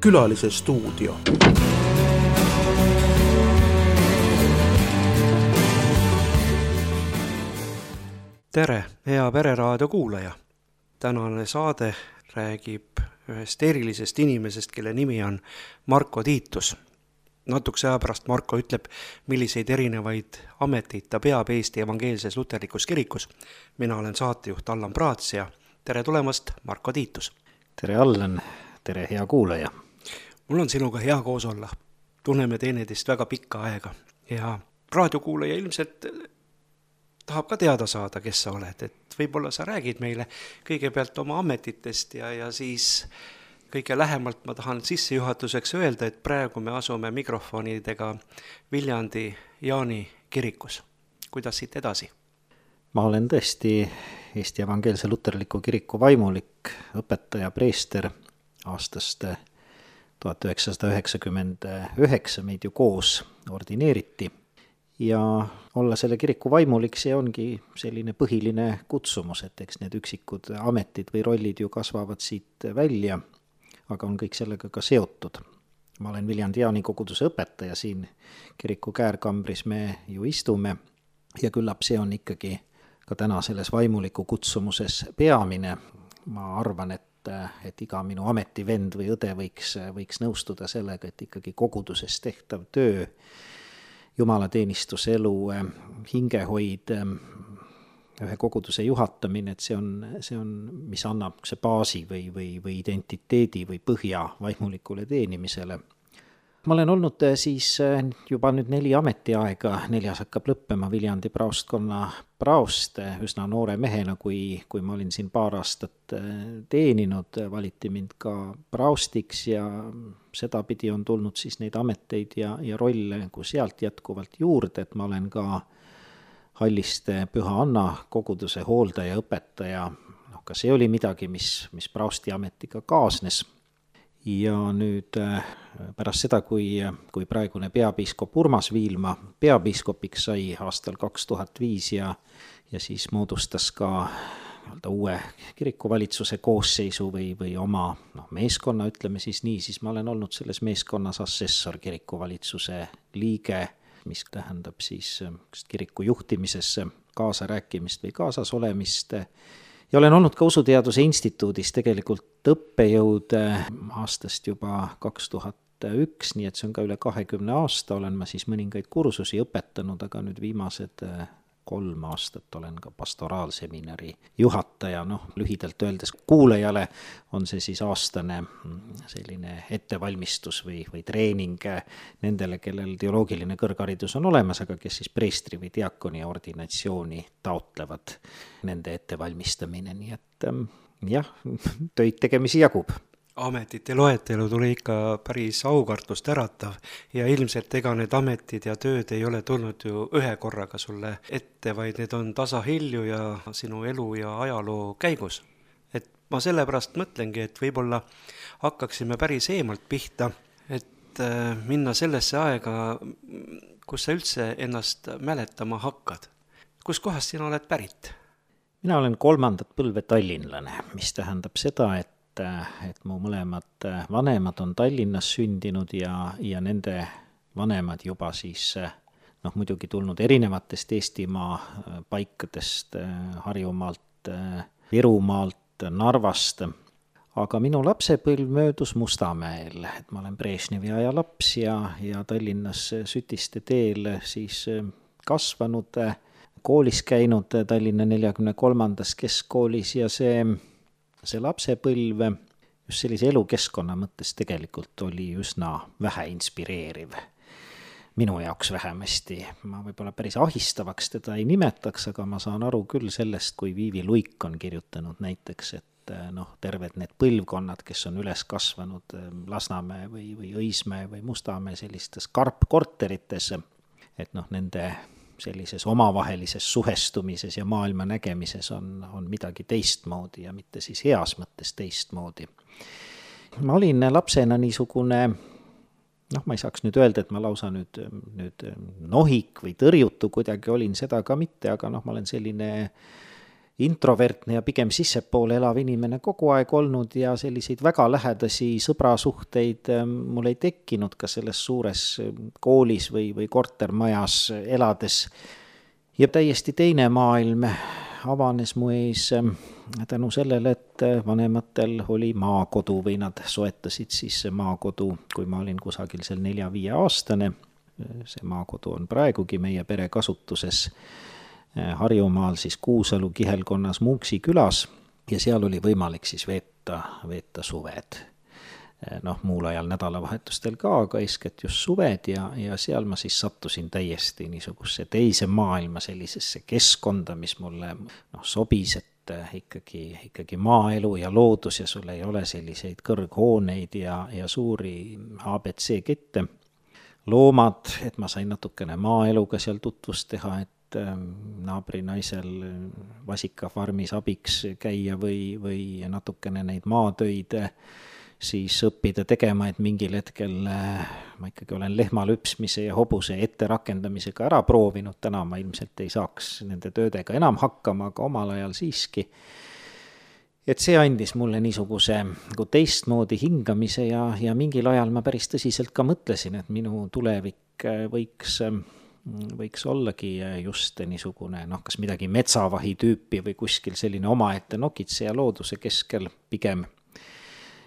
Külalise stuudio. Tere, hea Pereraadio kuulaja! Tänane saade räägib ühest erilisest inimesest, kelle nimi on Marko Tiitus. Natukese aja pärast Marko ütleb, milliseid erinevaid ameteid ta peab Eesti Evangeelses Luterlikus Kirikus. Mina olen saatejuht Allan Praats ja tere tulemast, Marko Tiitus! Tere Allan, tere hea kuulaja! Mul on sinuga hea koos olla. Tunneme teineteist väga pikka aega ja raadiokuulaja ilmselt tahab ka teada saada, kes sa oled. Et võib-olla sa räägid meile kõigepealt oma ametitest ja siis kõige lähemalt ma tahan sissejuhatuseks öelda, et praegu me asume mikrofonidega Viljandi Jaani kirikus. Kuidas siit edasi? Ma olen tõesti Eesti Evangeelse Luterliku Kiriku vaimulik, õpetaja, preester aastast 1999 meid ju koos ordineeriti. Ja olla selle kiriku vaimulik, see ongi selline põhiline kutsumus, et eks need üksikud ametid või rollid ju kasvavad siit välja, aga on kõik sellega ka seotud. Ma olen Viljandi Jaani koguduse õpetaja, siin kiriku käärkambris me ju istume ja küllap see on ikkagi ka täna selles vaimuliku kutsumuses peamine. Ma arvan, et iga minu ametivend või õde võiks nõustuda sellega, et ikkagi koguduses tehtav töö, jumalateenistuse elu, hingehoid, ühe koguduse juhatamine, et see on, mis annab see baasi või identiteedi või põhja vaimulikule teenimisele. Ma olen olnud siis juba nüüd 4 ametiaega, 4 hakkab lõppema Viljandi praostkonna praost üsna noore mehena, kui ma olin siin paar aastat teeninud, valiti mind ka praostiks ja sedapidi on tulnud siis neid ameteid ja rolle kui sealt jätkuvalt juurde, et ma olen ka Halliste Püha Anna koguduse hooldaja, õpetaja, ka see oli midagi, mis praosti ametiga kaasnes. Ja nüüd pärast seda, kui praegune peapiiskop Urmas Viilma peapiiskopiks sai aastal 2005 ja siis moodustas ka uue kirikuvalitsuse koosseisu või oma meeskonna, ütleme siis nii, siis ma olen olnud selles meeskonnas assessor kirikuvalitsuse liige, mis tähendab siis kiriku juhtimisesse kaasa rääkimist või kaasas olemist. Ja olen olnud ka Usuteaduse Instituudis tegelikult õppejõud aastast juba 2001, nii et see on ka üle 20 aasta, olen ma siis mõningaid kursusi õpetanud, aga nüüd viimased 3 aastat olen ka pastoraalseminari juhataja, lühidalt öeldes kuulajale on see siis aastane selline ettevalmistus või treening nendele, kellel teoloogiline kõrgharidus on olemas, aga kes siis preestri või diakoni ordinatsiooni taotlevad, nende ettevalmistamine, nii et jah, töid tegemisi jagub. Ametite loetelu tuli ikka päris aukartust äratav ja ilmselt ega need ametid ja tööd ei ole tulnud ju ühe korraga sulle ette, vaid need on tasahilju ja sinu elu ja ajaloo käigus. Et ma sellepärast mõtlengi, et võib-olla hakkaksime päris eemalt pihta, et minna sellesse aega, kus sa üldse ennast mäletama hakkad. Kus kohast sina oled pärit? Mina olen 3. põlve tallinlane, mis tähendab seda, et mu mõlemad vanemad on Tallinnas sündinud ja nende vanemad juba siis muidugi tulnud erinevatest Eestimaa paikadest, Harjumaalt, Virumaalt, Narvast, aga minu lapsepõlv möödus Mustamäel, et ma olen Brežnevi aja laps ja Tallinnas Sütiste teel siis kasvanud, koolis käinud Tallinna 43. keskkoolis ja see lapsepõlv just sellise elukeskkonna mõttes tegelikult oli üsna vähe inspireeriv. Minu jaoks vähemasti. Ma võib-olla päris ahistavaks teda ei nimetaks, aga ma saan aru küll sellest, kui Viivi Luik on kirjutanud näiteks, et terved need põlvkonnad, kes on üles kasvanud Lasnamäe või Õismäe või Mustamäe sellistes karpkorterites, et nende sellises omavahelises suhestumises ja maailma nägemises on midagi teistmoodi ja mitte siis heas mõttes teistmoodi. Ma olin lapsena niisugune, ma ei saaks nüüd öelda, et ma lausa nüüd nohik või tõrjutu kuidagi olin, seda ka mitte, aga ma olen selline introvertne ja pigem sissepoole elav inimene kogu aeg olnud ja selliseid väga lähedasi sõbrasuhteid mul ei tekkinud ka selles suures koolis või kortermajas elades. Ja täiesti teine maailm avanes mu ees tänu sellele, et vanematel oli maakodu või nad soetasid siis maakodu, kui ma olin kusagil seal 4-5 aastane. See maakodu on praegugi meie pere kasutuses Harjumaal siis Kuusalu kihelkonnas Munksi külas ja seal oli võimalik siis veeta suved. Muul ajal nädalavahetustel ka, aga eeskätt just suved ja seal ma siis sattusin täiesti niisuguse teise maailma sellisesse keskkonda, mis mulle sobis, et ikkagi maaelu ja loodus ja sul ei ole selliseid kõrghooneid ja suuri ABC kette. Loomad, et ma sain natukene maaeluga seal tutvust teha, et naabrinaisel vasikafarmis abiks käia või natukene neid maatöid siis õppida tegema, et mingil hetkel ma ikkagi olen lehmalüpsmise ja hobuse etterakendamisega ära proovinud, täna ma ilmselt ei saaks nende töödega enam hakkama, aga omal ajal siiski. Et see andis mulle niisuguse teistmoodi hingamise ja mingil ajal ma päris tõsiselt ka mõtlesin, et minu tulevik võiks ollagi just niisugune, kas midagi metsavahi tüüpi või kuskil selline omaette nokitseja looduse keskel pigem.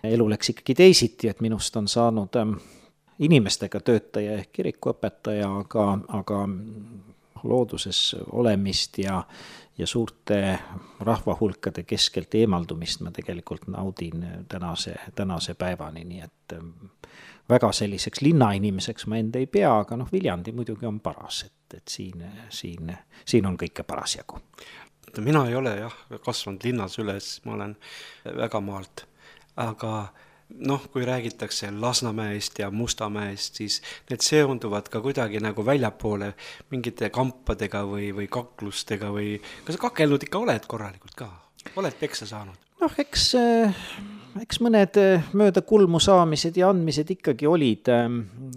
Elu läks ikkagi teisiti, et minust on saanud inimestega töötaja ehk kirikuõpetaja, aga looduses olemist ja suurte rahvahulkade keskelt eemaldumist ma tegelikult naudin tänase päevani, nii et väga selliseks linnainimeseks ma enda ei pea, aga Viljandi muidugi on paras, et siin on kõike parasjagu. Mina ei ole kasvanud linnas üles, ma olen väga maalt. Aga kui räägitakse Lasnamäest ja Mustamäest, siis need seonduvad ka kuidagi nagu väljapoole mingite kampadega või kaklustega või kas sa kakelnud ikka oled korralikult ka? Oled peksa saanud? Eks mõned mööda kulmu saamised ja andmised ikkagi olid,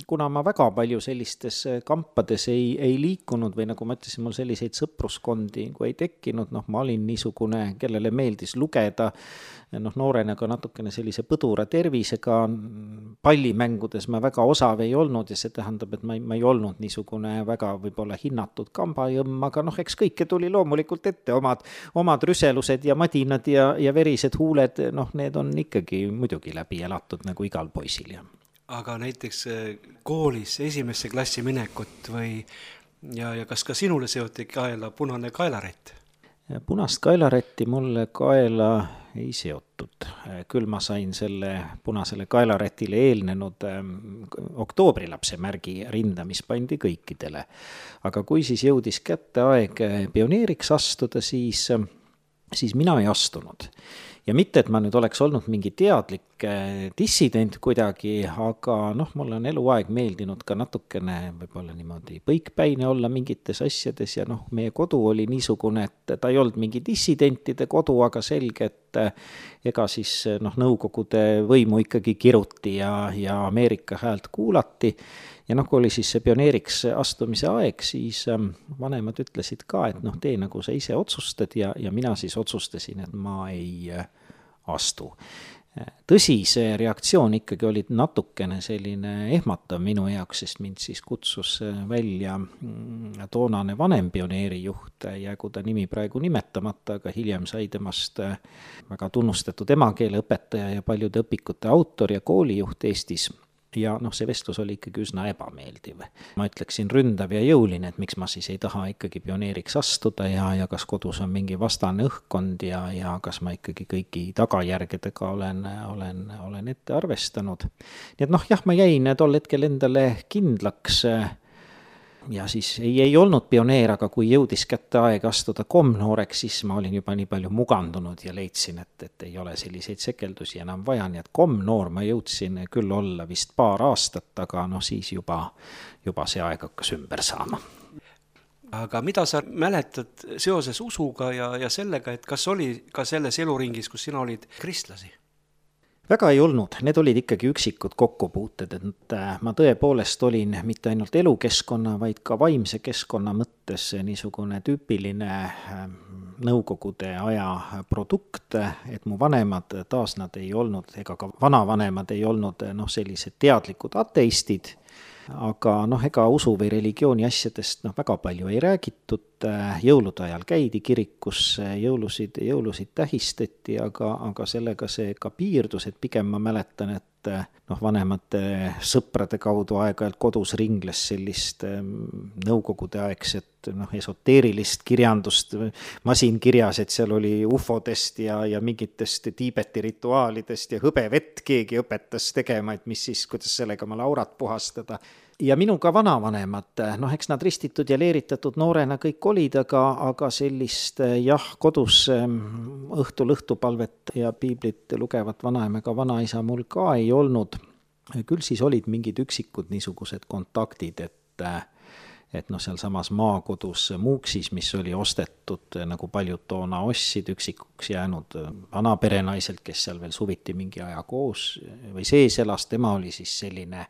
kuna ma väga palju sellistes kampades ei liikunud või nagu ma ütlesin, mul selliseid sõpruskondi ei tekkinud, ma olin niisugune, kellele meeldis lugeda, noorena ka natukene sellise põdura tervisega, pallimängudes ma väga osav ei olnud ja see tähendab, et ma ei olnud niisugune väga võib-olla hinnatud kambajõmm, aga eks kõike tuli loomulikult ette, omad rüselused ja madinad ja verised huuled, need on ikkagi muidugi läbi elatud nagu igal poisil. Aga näiteks koolis esimesse klassi minekut ja kas ka sinule seoti kaela punane kaelarätt? Punast kaelarätti mulle kaela ei seotud. Küll ma sain selle punasele kaelarätile eelnenud oktoobrilapse märgi rinda, mis pandi kõikidele. Aga kui siis jõudis kätte aeg pioneeriks astuda, siis mina ei astunud. Ja mitte, et ma nüüd oleks olnud mingi teadlik dissident kuidagi, aga mulle on eluaeg meeldinud ka natukene võib-olla niimoodi põikpäine olla mingites asjades ja meie kodu oli niisugune, et ta ei olnud mingi dissidentide kodu, aga selge, et ega siis nõukogude võimu ikkagi kiruti ja Ameerika häält kuulati. Ja kui oli siis see pioneeriks astumise aeg, siis vanemad ütlesid ka, et tee nagu sa ise otsustad ja mina siis otsustasin, et ma ei astu. Tõsi, see reaktsioon ikkagi oli natukene selline ehmatav minu jaoks, sest mind siis kutsus välja toonane vanem pioneerijuht, jäägu ta nimi praegu nimetamata, aga hiljem sai temast väga tunnustatud emakeeleõpetaja ja paljude õpikute autor ja koolijuht Eestis. Ja see vestlus oli ikkagi üsna ebameeldiv. Ma ütleksin ründav ja jõuline, et miks ma siis ei taha ikkagi pioneeriks astuda ja kas kodus on mingi vastane õhkkond ja kas ma ikkagi kõigi tagajärgedega olen ette arvestanud. Nii et ma jäin tol hetkel endale kindlaks ja siis ei olnud pioneer, aga kui jõudis kätte aeg astuda komnooreks, siis ma olin juba nii palju mugandunud ja leidsin, et ei ole selliseid sekeldusi enam vaja, nii et komnoor ma jõudsin küll olla vist paar aastat, aga siis juba see aeg hakkas ümber saama. Aga mida sa mäletad seoses usuga ja sellega, et kas oli ka selles eluringis, kus sina olid kristlasi? väga ei olnud, need olid ikkagi üksikud kokkupuuted, et ma tõepoolest olin mitte ainult elukeskkonna, vaid ka vaimse keskkonna mõttes niisugune tüüpiline nõukogude aja produkt, et mu vanemad taas nad ei olnud, ega ka vanavanemad ei olnud sellised teadlikud ateistid, aga ega usu või religiooni asjadest väga palju ei räägitud, jõulude ajal käidi kirikus, jõulusid tähistati, aga sellega see ka piirdus, et pigem ma mäletan, et vanemate sõprade kaudu aeg-ajalt kodus ringles sellist nõukogude aegset esoteerilist kirjandust masinkirjas, et seal oli ufodest ja mingitest Tiibeti rituaalidest ja hõbevett keegi õpetas tegema, et kuidas sellega oma laurat puhastada. Ja minuga vanavanemad, eks nad ristitud ja leeritatud noorena kõik olid, aga sellist kodus õhtupalvet ja piiblit lugevat vanaemaga vanaisa mul ka ei olnud. Küll siis olid mingid üksikud niisugused kontaktid, et seal samas maakodus Muuksis, mis oli ostetud, nagu paljud toona ostsid, üksikuks jäänud vanaperenaiselt, kes seal veel suviti mingi aja koos või sees elas, tema oli siis selline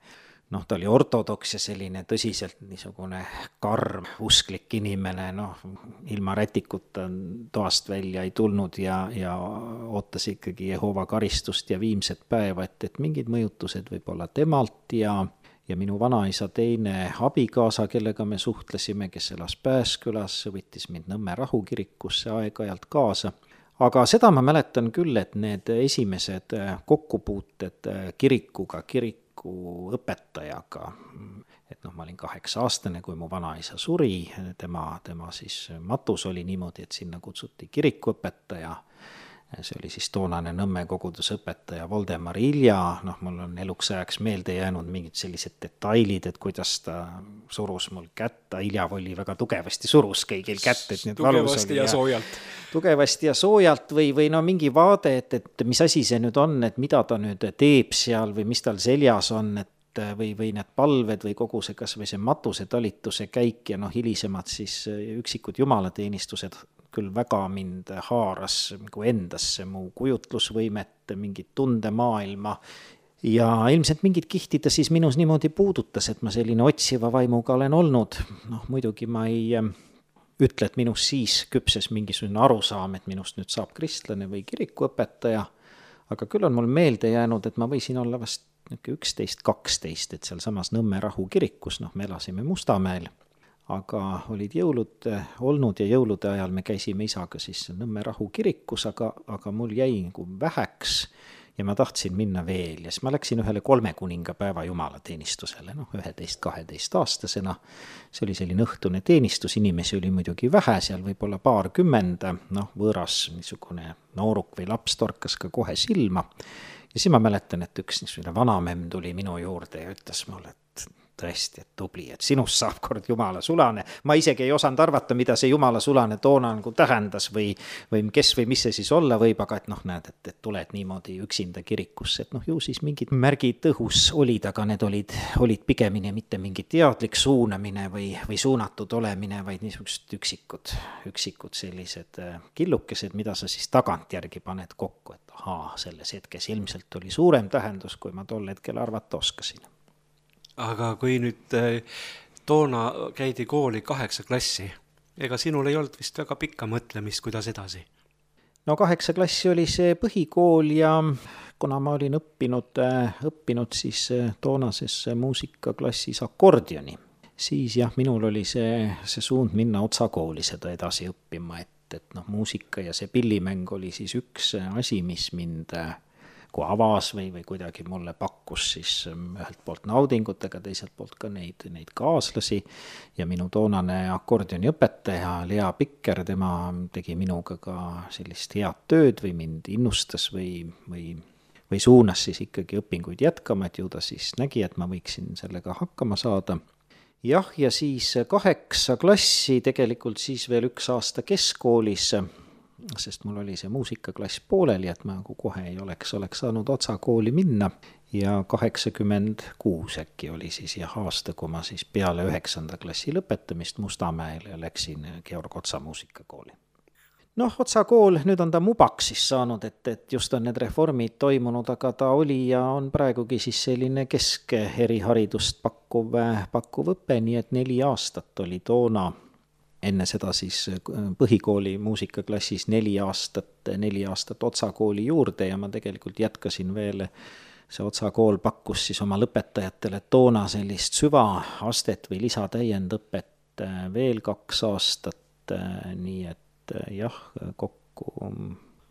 ta oli ortodoks ja selline tõsiselt niisugune karm usklik inimene, ilma rätikuta toast välja ei tulnud ja ootas ikkagi Jehova karistust ja viimset päeva, et mingid mõjutused võib olla temalt ja minu vanaisa teine abikaasa, kellega me suhtlesime, kes elas Pääskülas, võttis mind Nõmme rahukirikusse aeg-ajalt kaasa. Aga seda ma mäletan küll, et need esimesed kokkupuuted kirikuga, õpetajaga, et ma olin 8-aastane, kui mu vanaisa suri, tema siis matus oli niimoodi, et sinna kutsuti kirikuõpetaja, see oli siis toonane Nõmme kogudusõpetaja Voldemar Ilja, mul on eluks ajaks meelde jäänud mingid sellised detailid, et kuidas ta surus mul kätt, Ilja oli väga tugevasti surus kõigil kätt, et need valus oli. Tugevasti ja soojalt või mingi vaade, et mis asi see nüüd on, et mida ta nüüd teeb seal või mis tal seljas on, et või need palved või kogu see kas või see matuse talituse käik ja hilisemad siis üksikud jumalateenistused küll väga mind haaras nagu endasse, mu kujutlusvõimet, mingit tundemaailma ja ilmselt mingid kihtid ta siis minus niimoodi puudutas, et ma selline otsiva vaimuga olen olnud. Muidugi ma ei ütle, et minus siis küpses mingisugune arusaam, et minust nüüd saab kristlane või kirikuõpetaja, aga küll on mul meelde jäänud, et ma võisin olla vast 11-12, et seal samas Nõmme rahukirikus, me elasime Mustamäel, aga olid jõulud olnud ja jõulude ajal me käisime isaga siis Nõmme rahukirikus, aga mul jäi nagu väheks ja ma tahtsin minna veel ja siis ma läksin ühele 3 kuningapäeva jumalateenistusele, 11-12-aastasena. See oli selline õhtune teenistus, inimesi oli muidugi vähe, seal võib-olla 20, võõras niisugune nooruk või laps torkas ka kohe silma. Ja siis ma mäletan, et üks niisugune vanamemm tuli minu juurde ja ütles mulle, et tõesti, et tubli, et sinust saab kord Jumala sulane. Ma isegi ei osanud arvata, mida see Jumala sulane toona nagu tähendas või kes või mis see siis olla võib, aga et näed, et tuled niimoodi üksinda kirikusse, et ju siis mingid märgid õhus olid, aga need olid pigemini mitte mingi teadlik suunamine või suunatud olemine, vaid niisugused üksikud sellised killukesed, mida sa siis tagantjärgi paned kokku, et selles hetkes ilmselt oli suurem tähendus, kui ma tol hetkel arvata oskasin. Aga kui nüüd toona käidi kooli 8 klassi, ega sinul ei olnud vist väga pikka mõtlemist, kuidas edasi? 8 klassi oli see põhikool ja kuna ma olin õppinud siis toonases muusikaklassis akordioni, siis minul oli see suund minna otsakooli seda edasi õppima, et muusika ja see pillimäng oli siis üks asi, mis mind kui avas või kuidagi mulle pakkus siis ühelt poolt naudingut, aga teiselt poolt ka neid kaaslasi ja minu toonane akordioniõpetaja Lea Pikker, tema tegi minuga ka sellist head tööd või mind innustas või suunas siis ikkagi õpinguid jätkama, et ju ta siis nägi, et ma võiksin sellega hakkama saada. Ja siis 8 klassi tegelikult siis veel 1 aasta keskkoolis, sest mul oli see muusikaklass pooleli, et ma kohe ei oleks saanud otsakooli minna ja 86 äkki oli siis aasta, kui ma siis peale 9. klassi lõpetamist Mustamäele läksin Georg Otsa muusikakooli. Noh, Otsa kool, nüüd on ta Mubaks siis saanud, et just on need reformid toimunud, aga ta oli ja on praegugi siis selline keskeriharidust pakkuv õpe, nii et 4 aastat oli toona, enne seda siis põhikooli muusikaklassis 4 aastat Otsa kooli juurde ja ma tegelikult jätkasin veel, see Otsa kool pakkus siis oma lõpetajatele toona sellist süvaastet või lisatäiendõpet veel 2 aastat, nii et jah, kokku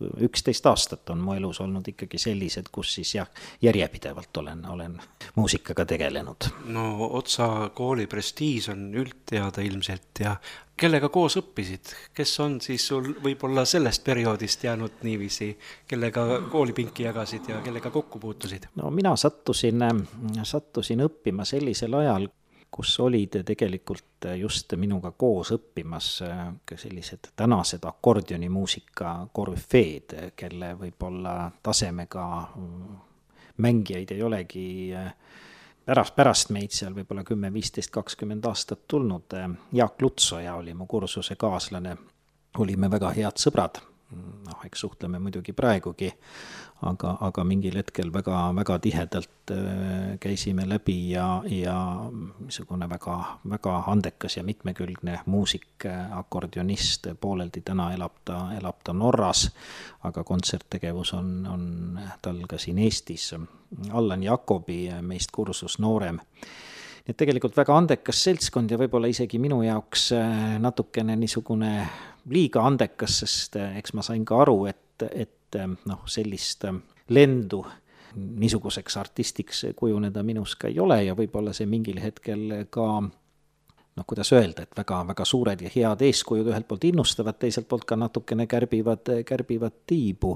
11 aastat on mu elus olnud ikkagi sellised, kus siis jah, järjepidevalt olen muusikaga tegelenud. No Otsa kooli prestiis on üldteada ilmselt ja kellega koos õppisid? Kes on siis sul võib-olla sellest perioodist jäänud niiviisi, kellega koolipinki jagasid ja kellega kokku puutusid? No mina sattusin õppima sellisel ajal, kus olid tegelikult just minuga koos õppimas sellised tänased akordionimuusika korüfeed, kelle võib-olla tasemega mängijaid ei olegi pärast meid seal võib-olla 10, 15, 20 aastat tulnud. Jaak Lutsoja oli mu kursuse kaaslane, olime väga head sõbrad, eks suhtleme muidugi praegugi, aga mingil hetkel väga, väga tihedalt käisime läbi ja niisugune väga, väga andekas ja mitmekülgne muusik, akordionist, pooleldi täna elab ta Norras, aga kontserttegevus on tal ka siin Eestis. Allan Jakobi meist kursus noorem. Nii et tegelikult väga andekas seltskond ja võib-olla isegi minu jaoks natukene niisugune liiga andekas, sest eks ma sain ka aru, et sellist lendu niisuguseks artistiks kujuneda minus ka ei ole ja võib-olla see mingil hetkel ka, kuidas öelda, et väga, väga suured ja head eeskujud ühelt poolt innustavad, teiselt poolt ka natukene kärbivad tiibu.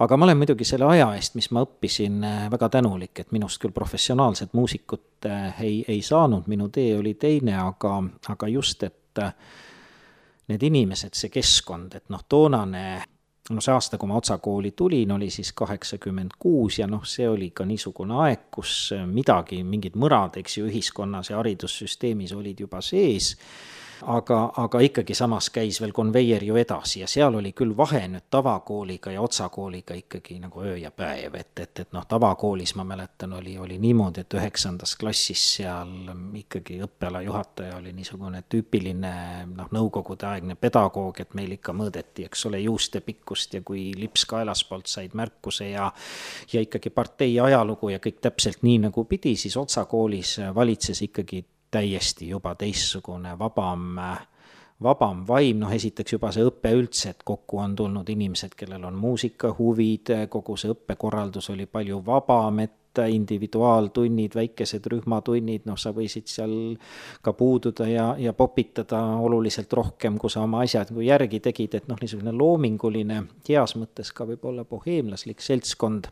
Aga ma olen muidugi selle aja eest, mis ma õppisin, väga tänulik, et minust küll professionaalset muusikut ei saanud, minu tee oli teine, aga just, et need inimesed, see keskkond, et toonane, see aasta, kui ma Otsa kooli tulin, oli siis 86 ja see oli ka niisugune aeg, kus mingid mõrad, eks ju, ühiskonnas ja haridussüsteemis olid juba sees, aga ikkagi samas käis veel konveier ju edasi ja seal oli küll vahe nüüd tavakooliga ja Otsa kooliga ikkagi nagu öö ja päev, et tavakoolis ma mäletan oli niimoodi, et 9. klassis seal ikkagi õppeala juhataja oli niisugune tüüpiline nõukogudeaegne pedagoog, et meil ikka mõõdeti, eks ole, juuste pikkust ja kui lips kaelaspoolt said märkuse ja ikkagi partei ajalugu ja kõik täpselt nii nagu pidi, siis Otsa koolis valitses ikkagi täiesti juba teissugune vabam vaim, esiteks juba see õppe üldse, et kokku on tulnud inimesed, kellel on muusikahuvid, kogu see õppekorraldus oli palju vabam, et individuaaltunnid, väikesed rühmatunnid, sa võisid seal ka puududa ja popitada oluliselt rohkem, kui sa oma asjad järgi tegid, et niisugune loominguline, heas mõttes ka võib-olla boheemlaslik seltskond,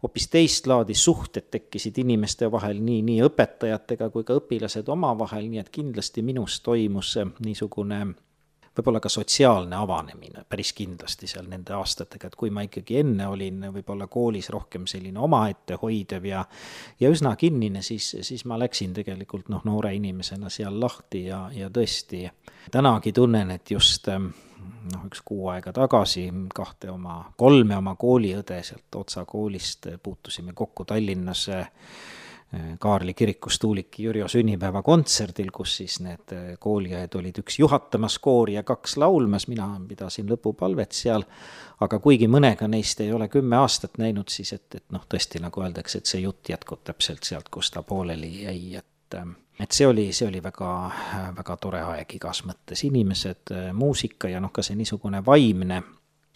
hoopis teist laadi suhted tekkisid inimeste vahel, nii õpetajatega kui ka õpilased omavahel, nii et kindlasti minus toimus niisugune võib-olla ka sotsiaalne avanemine päris kindlasti seal nende aastatega, et kui ma ikkagi enne olin võib-olla koolis rohkem selline omaette hoidev ja üsna kinnine, siis ma läksin tegelikult noore inimesena seal lahti ja tõesti tänagi tunnen, et just üks 6 aega tagasi 3 oma kooliõde sealt Otsa koolist puutusime kokku Tallinnas Kaarli kirikus Tuuliki Jürjo sünnipäeva kontserdil, kus siis need kooliajad olid üks juhatamas koori ja 2 laulmas, mina pidasin lõpupalvet seal, aga kuigi mõnega neist ei ole 10 aastat näinud, siis et tõesti nagu öeldakse, et see jutt jätkub täpselt sealt, kus ta pooleli jäi, et see oli väga, väga tore aeg igas mõttes, inimesed, muusika ja ka see niisugune vaimne,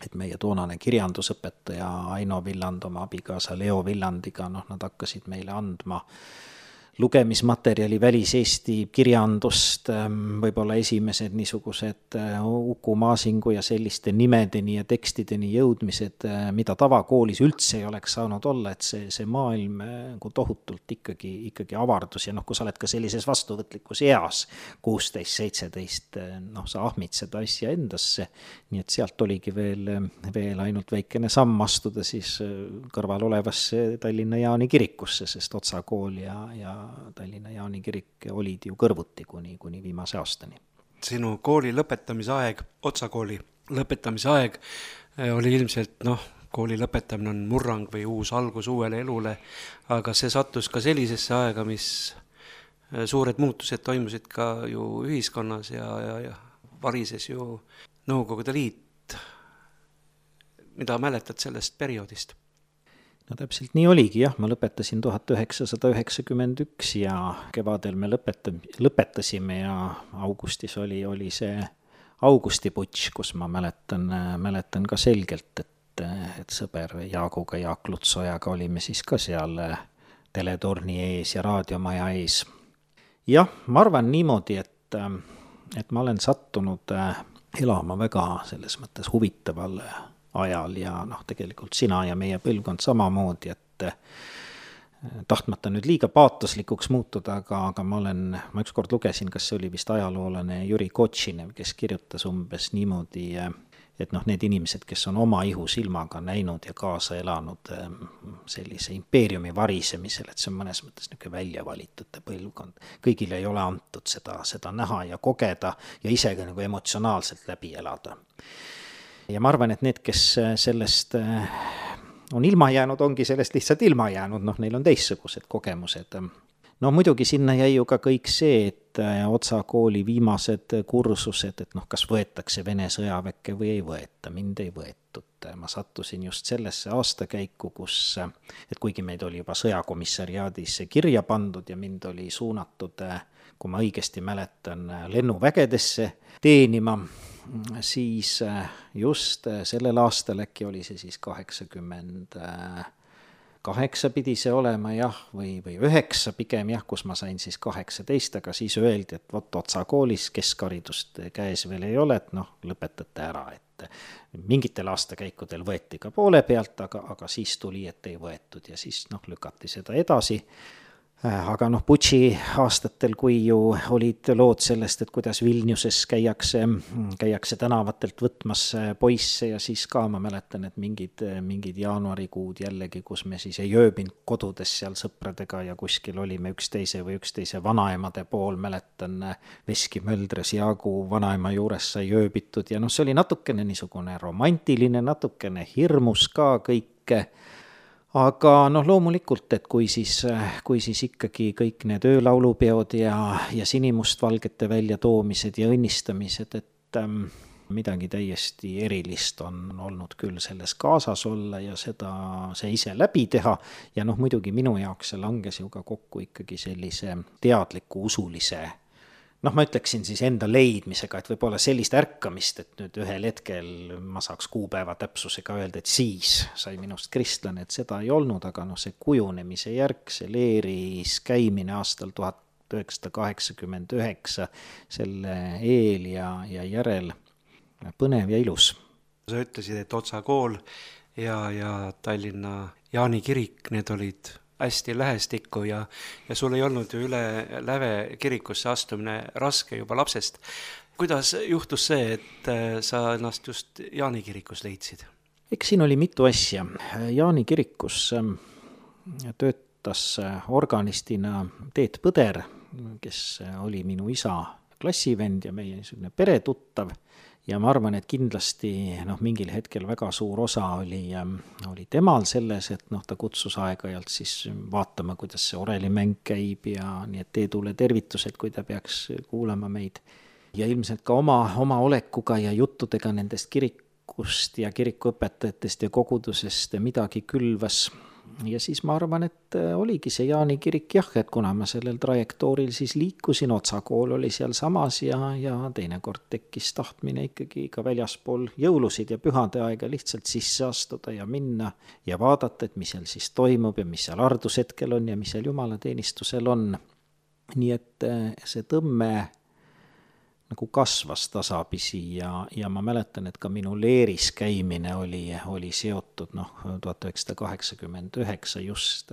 et meie toonane kirjandusõpetaja Aino Villand oma abikaasa Leo Villandiga, nad hakkasid meile andma lugemismaterjali väliseesti kirjandust, võib-olla esimesed niisugused Uku Maasingu ja selliste nimedeni ja tekstideni jõudmised, mida tavakoolis üldse ei oleks saanud olla, et see maailm tohutult ikkagi avardus ja kui sa oled ka sellises vastuvõtlikus eas, 16-17, sa ahmid seda asja endasse, nii et sealt oligi veel ainult väikene samm astuda siis kõrval olevasse Tallinna Jaani kirikusse, sest Otsa kool ja Tallinna Jaani kirik olid ju kõrvuti kuni viimase aastani. Sinu kooli lõpetamise aeg Otsa kooli lõpetamise aeg oli ilmselt kooli lõpetamine on murrang või uus algus uuele elule, aga see sattus ka sellisesse aega, mis suured muutused toimusid ka ju ühiskonnas ja varises ju Nõukogude Liit. Mida mäletad sellest perioodist? No täpselt nii oligi, jah, ma lõpetasin 1991 ja kevadel me lõpetasime ja augustis oli see augustiputš, kus ma mäletan ka selgelt, et sõber Jaaguga, Jaak Lutsojaga olime siis ka seal teletorni ees ja raadiomaja ees. Jah, ma arvan niimoodi, et ma olen sattunud elama väga selles mõttes huvitaval ajal ja tegelikult sina ja meie põlvkond samamoodi, et tahtmata nüüd liiga paatoslikuks muutuda, aga ma ükskord lugesin, kas see oli vist ajaloolane Jüri Kotšinev, kes kirjutas umbes niimoodi, et need inimesed, kes on oma ihusilmaga näinud ja kaasa elanud sellise impeeriumi varisemisel, et see on mõnes mõttes niisugune väljavalitute põlvkond. Kõigile ei ole antud seda näha ja kogeda ja ise ka nagu emotsionaalselt läbi elada. Ja ma arvan, et need, kes sellest on ilma jäänud, ongi sellest lihtsalt ilma jäänud, neil on teistsugused kogemused. Muidugi sinna jäi ju ka kõik see, et Otsa kooli viimased kursused, et kas võetakse Vene sõjaväkke või ei võeta, mind ei võetud. Ma sattusin just sellesse aastakäiku, et kuigi meid oli juba sõjakomissariaadis kirja pandud ja mind oli suunatud, kui ma õigesti mäletan, lennuvägedesse teenima, siis just sellel aastal äkki oli see siis 88 pidi see olema jah, või 9 pigem jah, kus ma sain siis 18, aga siis öeldi, et Otsa koolis keskharidust käes veel ei ole, et lõpetate ära, et mingitel aastakäikudel võeti ka poole pealt, aga siis tuli, et ei võetud ja siis lükati seda edasi. Aga Butši aastatel, kui ju olid lood sellest, et kuidas Vilniuses käiakse tänavatelt võtmas poisse ja siis ka ma mäletan, et mingid jaanuarikuud jällegi, kus me siis ei ööbinud kodudes seal sõpradega ja kuskil olime üksteise vanaemade pool, mäletan Veski Möldres Jaagu vanaema juures sai ööbitud ja see oli natukene niisugune romantiline, natukene hirmus ka kõike. Aga loomulikult, et kui siis ikkagi kõik need öölaulupeod ja sinimustvalgete väljatoomised ja õnnistamised, et midagi täiesti erilist on olnud küll selles kaasas olla ja see ise läbi teha ja muidugi minu jaoks see langes ju ka kokku ikkagi sellise teadliku usulise, ma ütleksin siis enda leidmisega, et võib-olla sellist ärkamist, et nüüd ühel hetkel ma saaks kuupäeva täpsusega öelda, et siis sai minust kristlane, et seda ei olnud, aga see kujunemise järg, see leeris käimine aastal 1989, selle eel ja järel põnev ja ilus. Sa ütlesid, et Otsa kool ja Tallinna Jaani kirik, need olid hästi lähestikku ja sul ei olnud ju üle läve kirikusse astumine raske juba lapsest. Kuidas juhtus see, et sa ennast just Jaani kirikus leidsid? Eks siin oli mitu asja. Jaani kirikus töötas organistina Teet Põder, kes oli minu isa klassivend ja meie niisugune peretuttav. Ja ma arvan, et kindlasti mingil hetkel väga suur osa oli temal selles, et ta kutsus aeg-ajalt siis vaatama, kuidas see orelimäng käib ja nii et Teedule tervitused, kui ta peaks kuulama meid. Ja ilmselt ka oma olekuga ja juttudega nendest kirikust ja kirikuõpetajatest ja kogudusest midagi külvas. Ja siis ma arvan, et oligi see Jaani kirik jah, et kuna ma sellel trajektooril siis liikusin, Otsa kool oli seal samas ja teinekord tekkis tahtmine ikkagi ka väljaspool jõulusid ja pühade aega lihtsalt sisse astuda ja minna ja vaadata, et mis seal siis toimub ja mis seal ardushetkel on ja mis seal jumalateenistusel on. Nii et see tõmme nagu kasvas tasapisi ja ma mäletan, et ka minu leeris käimine oli seotud 1989 just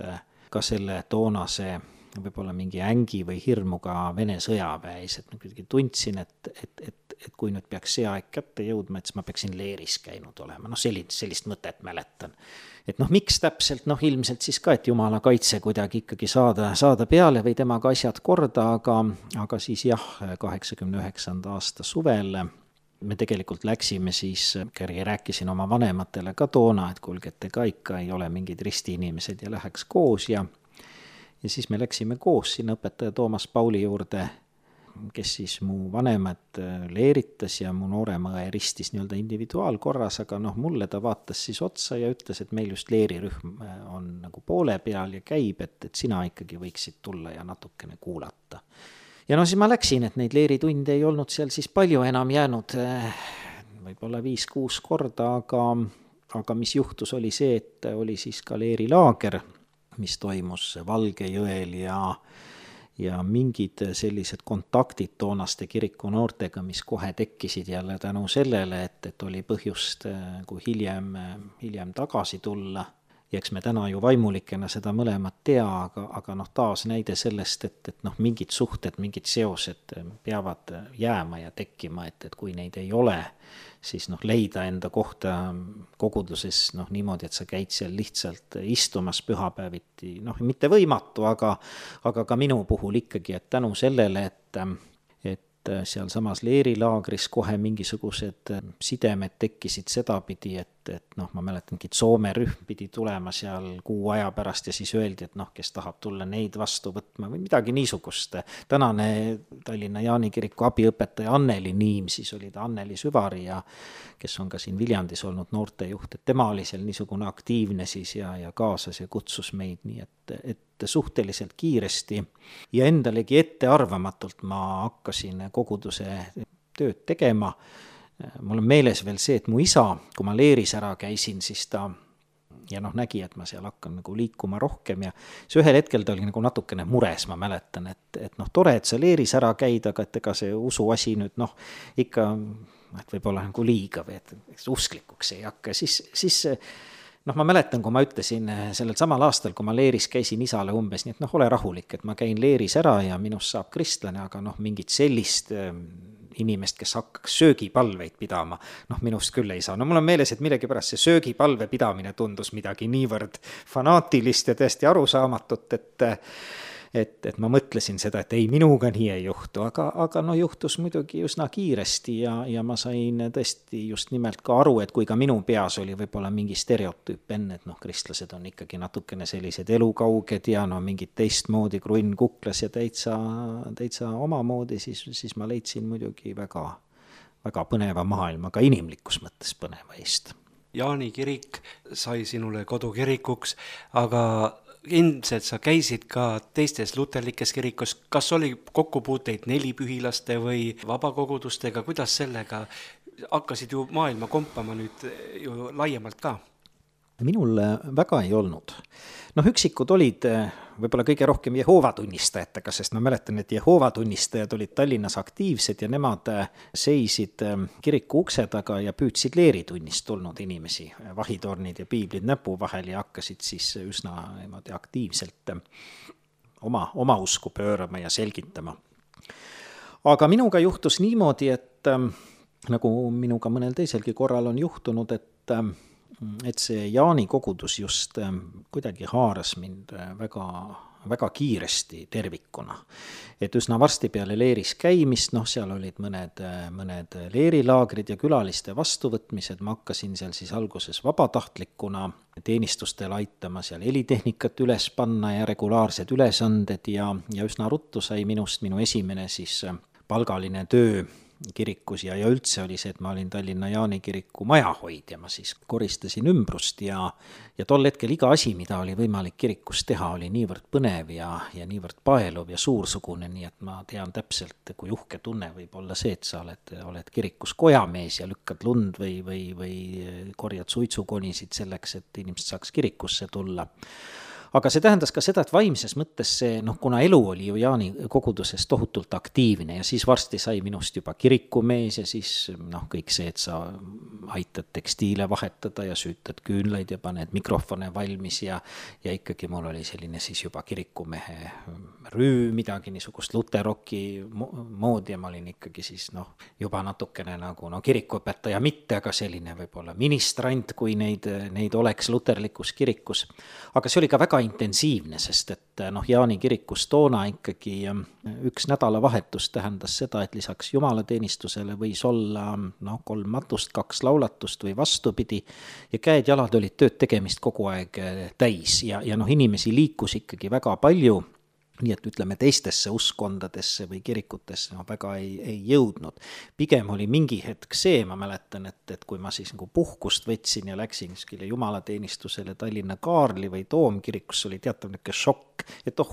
ka selle toonase võib-olla mingi ängi või hirmuga Vene sõjaväes, et ma kuidagi tundsin, et kui nüüd peaks see aeg kätte jõudma, et siis ma peaksin leeris käinud olema, sellist mõtet mäletan. Et miks täpselt, ilmselt siis ka, et Jumala kaitse kuidagi ikkagi saada peale või temaga asjad korda, aga siis jah, 89. aasta suvel me tegelikult läksime siis, rääkisin oma vanematele ka toona, et kuulge, et ega ikka ei ole mingid ristiinimesed ja läheks koos ja siis me läksime koos sinna õpetaja Toomas Pauli juurde, kes siis mu vanemad leeritas ja mu noorema õe ristis nii-öelda individuaalkorras, aga mulle ta vaatas siis otsa ja ütles, et meil just leerirühm on nagu poole peal ja käib, et sina ikkagi võiksid tulla ja natukene kuulata. Ja siis ma läksin, et neid leeritunde ei olnud seal siis palju enam jäänud, võib-olla 5-6 korda, aga mis juhtus, oli see, et oli siis ka leerilaager, mis toimus Valgejõel ja mingid sellised kontaktid toonaste kiriku noortega, mis kohe tekkisid jälle tänu sellele, et oli põhjust kui hiljem tagasi tulla. Ja eks me täna ju vaimulikena seda mõlemat tea, aga taas näide sellest, et mingid suhted, mingid seosed peavad jääma ja tekkima, et kui neid ei ole, siis leida enda kohta koguduses niimoodi, et sa käid seal lihtsalt istumas pühapäeviti, mitte võimatu, aga ka minu puhul ikkagi, et tänu sellele, et seal samas leerilaagris kohe mingisugused sidemed tekkisid sedapidi, et ma mäletangi, et Soome rühm pidi tulema seal kuu aja pärast ja siis öeldi, et kes tahab tulla neid vastu võtma või midagi niisugust. Tänane Tallinna Jaani kiriku abiõpetaja Anneli Niim, siis oli ta Anneli Süvari ja kes on ka siin Viljandis olnud noortejuht, et tema oli seal niisugune aktiivne siis ja kaasas ja kutsus meid, nii et suhteliselt kiiresti ja endalegi ettearvamatult ma hakkasin koguduse tööd tegema. Mul on meeles veel see, et mu isa, kui ma leeris ära käisin, siis ta ja nägi, et ma seal hakkan nagu liikuma rohkem ja see ühel hetkel ta oli nagu natukene mures, ma mäletan, et tore, et sa leeris ära käid, aga et ega see usuasi nüüd ikka, et võib-olla nagu liiga või et usklikuks ei hakka, siis ma mäletan, kui ma ütlesin sellel samal aastal, kui ma leeris käisin isale umbes, nii et ole rahulik, et ma käin leeris ära ja minust saab kristlane, aga mingit sellist inimest, kes hakkaks söögipalveid pidama, minust küll ei saa. Mul on meeles, et millegipärast see söögipalve pidamine tundus midagi niivõrd fanaatilist ja tõesti arusaamatut, et ma mõtlesin seda, et ei, minuga nii ei juhtu, aga juhtus muidugi üsna kiiresti ja ma sain tõesti just nimelt ka aru, et kui ka minu peas oli võib-olla mingi stereotüüp enne, et kristlased on ikkagi natukene sellised elukauged ja mingid teistmoodi krunn kuklas ja täitsa omamoodi, siis ma leidsin muidugi väga, väga põneva maailma, ka inimlikus mõttes põneva eest. Jaani kirik sai sinule kodukirikuks, aga ilmselt sa käisid ka teistes luterlikes kirikus, kas oli kokkupuuteid nelipühilaste või vabakogudustega, kuidas sellega hakkasid ju maailma kompama nüüd ju laiemalt ka? Minul väga ei olnud. Üksikud olid võib-olla kõige rohkem Jehoova tunnistajatega, sest ma mäletan, et Jehoova tunnistajad olid Tallinnas aktiivsed ja nemad seisid kiriku ukse taga ja püüdsid leeritunnist tulnud inimesi, vahitornid ja piiblid näpu vahel ja hakkasid siis üsna aktiivselt oma usku pöörama ja selgitama. Aga minuga juhtus niimoodi, et nagu minuga mõnel teiselgi korral on juhtunud, et see Jaani kogudus just kuidagi haaras mind väga, väga kiiresti tervikuna. Et üsna varsti peale leeris käimist, seal olid mõned leerilaagrid ja külaliste vastuvõtmised, ma hakkasin seal siis alguses vabatahtlikuna teenistustel aitama seal helitehnikat üles panna ja regulaarsed ülesanded ja üsna ruttu sai minust minu esimene siis palgaline töö kirikus ja üldse oli see, et ma olin Tallinna Jaani kiriku majahoidja, ma siis koristasin ümbrust ja tol hetkel iga asi, mida oli võimalik kirikus teha, oli niivõrd põnev ja niivõrd paeluv ja suursugune, nii et ma tean täpselt, kui uhke tunne võib olla see, et sa oled kirikus kojamees ja lükkad lund või korjad suitsukonisid selleks, et inimesed saaks kirikusse tulla. Aga see tähendas ka seda, et vaimses mõttes see, kuna elu oli ju Jaani koguduses tohutult aktiivne ja siis varsti sai minust juba kirikumees ja siis kõik see, et sa aitad tekstiile vahetada ja süütad küünlaid ja paned mikrofone valmis ja ikkagi mul oli selline siis juba kirikumehe rüü, midagi niisugust luteroki moodi ja ma olin ikkagi siis juba natukene nagu kirikuõpetaja mitte, aga selline võib-olla ministrant, kui neid oleks luterlikus kirikus. Aga see oli ka väga intensiivne, sest et Jaani kirikus toona ikkagi üks nädalavahetus tähendas seda, et lisaks jumalateenistusele võis olla 3 matust, 2 laulatust või vastupidi, ja käed-jalad olid tööd tegemist kogu aeg täis ja inimesi liikus ikkagi väga palju, nii et ütleme teistesse uskondadesse või kirikutesse väga ei jõudnud. Pigem oli mingi hetk see, ma mäletan, et kui ma siis nagu puhkust võtsin ja läksin kuskile jumalateenistusele Tallinna Kaarli või Toomkirikus, oli teatav niisugune šokk, et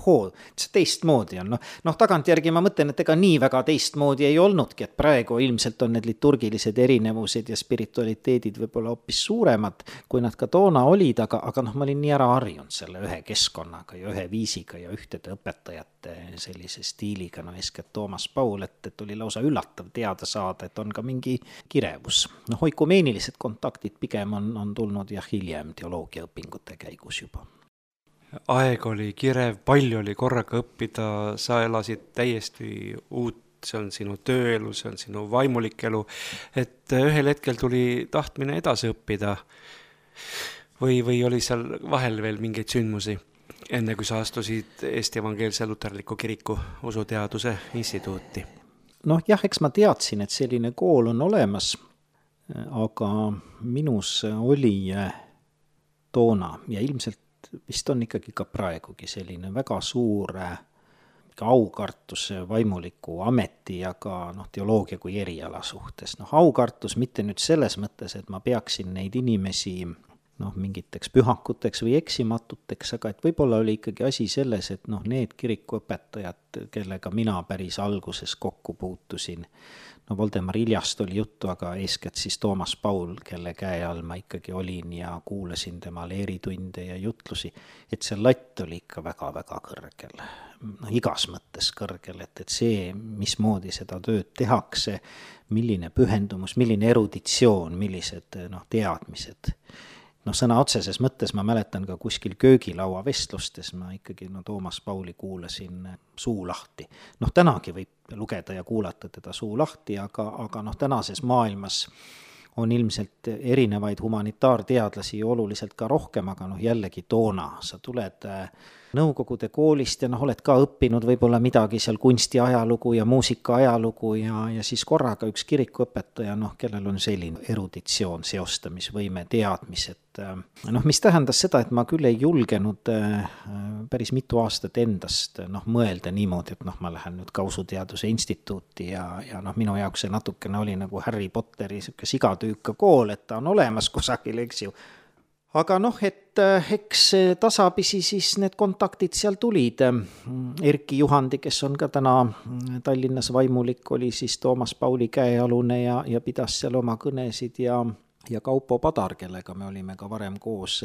see teistmoodi on. Tagantjärgi ma mõtlen, et ega nii väga teistmoodi ei olnudki, et praegu ilmselt on need liturgilised erinevused ja spiritualiteedid võib-olla hoopis suuremad, kui nad ka toona olid, aga ma olin nii ära harjunud selle ühe keskkonnaga ja ühe viisiga ja ühtede õpetajate sellise stiiliga, eeskätt Toomas Paul, et oli lausa üllatav teada saada, et on ka mingi kirevus. Oikumeenilised kontaktid pigem on tulnud hiljem teoloogiaõpingute käigus juba. Aeg oli kirev, palju oli korraga õppida, sa elasid täiesti uut, see on sinu tööelu, see on sinu vaimulik elu, et ühel hetkel tuli tahtmine edasi õppida või oli seal vahel veel mingeid sündmusi, enne kui sa astusid Eesti Evangeelse Luterliku Kiriku usuteaduse instituuti? Eks ma teadsin, et selline kool on olemas, aga minus oli toona ja ilmselt vist on ikkagi ka praegugi selline väga suur aukartus vaimuliku ameti ja ka teoloogia kui eriala suhtes. Aukartus mitte nüüd selles mõttes, et ma peaksin neid inimesi mingiteks pühakuteks või eksimatuteks, aga et võib-olla oli ikkagi asi selles, et need kirikuõpetajad, kellega mina päris alguses kokku puutusin, Voldemar Iljast oli juttu, aga eeskätt siis Toomas Paul, kelle käe all ma ikkagi olin ja kuulasin tema leeritunde ja jutlusi, et see latt oli ikka väga-väga kõrgel. Igas mõttes kõrgel, et see, mismoodi seda tööd tehakse, milline pühendumus, milline eruditsioon, millised teadmised. Sõna otseses mõttes ma mäletan ka kuskil köögilaua vestlustes, ma ikkagi Toomas Pauli kuulasin suu lahti. Tänagi võib lugeda ja kuulata teda suu lahti, aga tänases maailmas on ilmselt erinevaid humanitaarteadlasi oluliselt ka rohkem, aga jällegi toona sa tuled Nõukogude koolist ja oled ka õppinud võib-olla midagi seal kunsti ajalugu ja muusika ajalugu ja siis korraga üks kirikuõpetaja, kellel on selline eruditsioon, seostamisvõime, teadmised. Mis tähendas seda, et ma küll ei julgenud päris mitu aastat endast mõelda niimoodi, et ma lähen nüüd ka usuteaduse instituuti ja minu jaoks see natukene oli nagu Harry Potteri sigatüüka kool, et ta on olemas kusagil, eks ju. Aga et eks tasapisi siis need kontaktid seal tulid. Erki Juhandi, kes on ka täna Tallinnas vaimulik, oli siis Toomas Pauli käealune ja pidas seal oma kõnesid ja Kaupo Padar, kellega me olime ka varem koos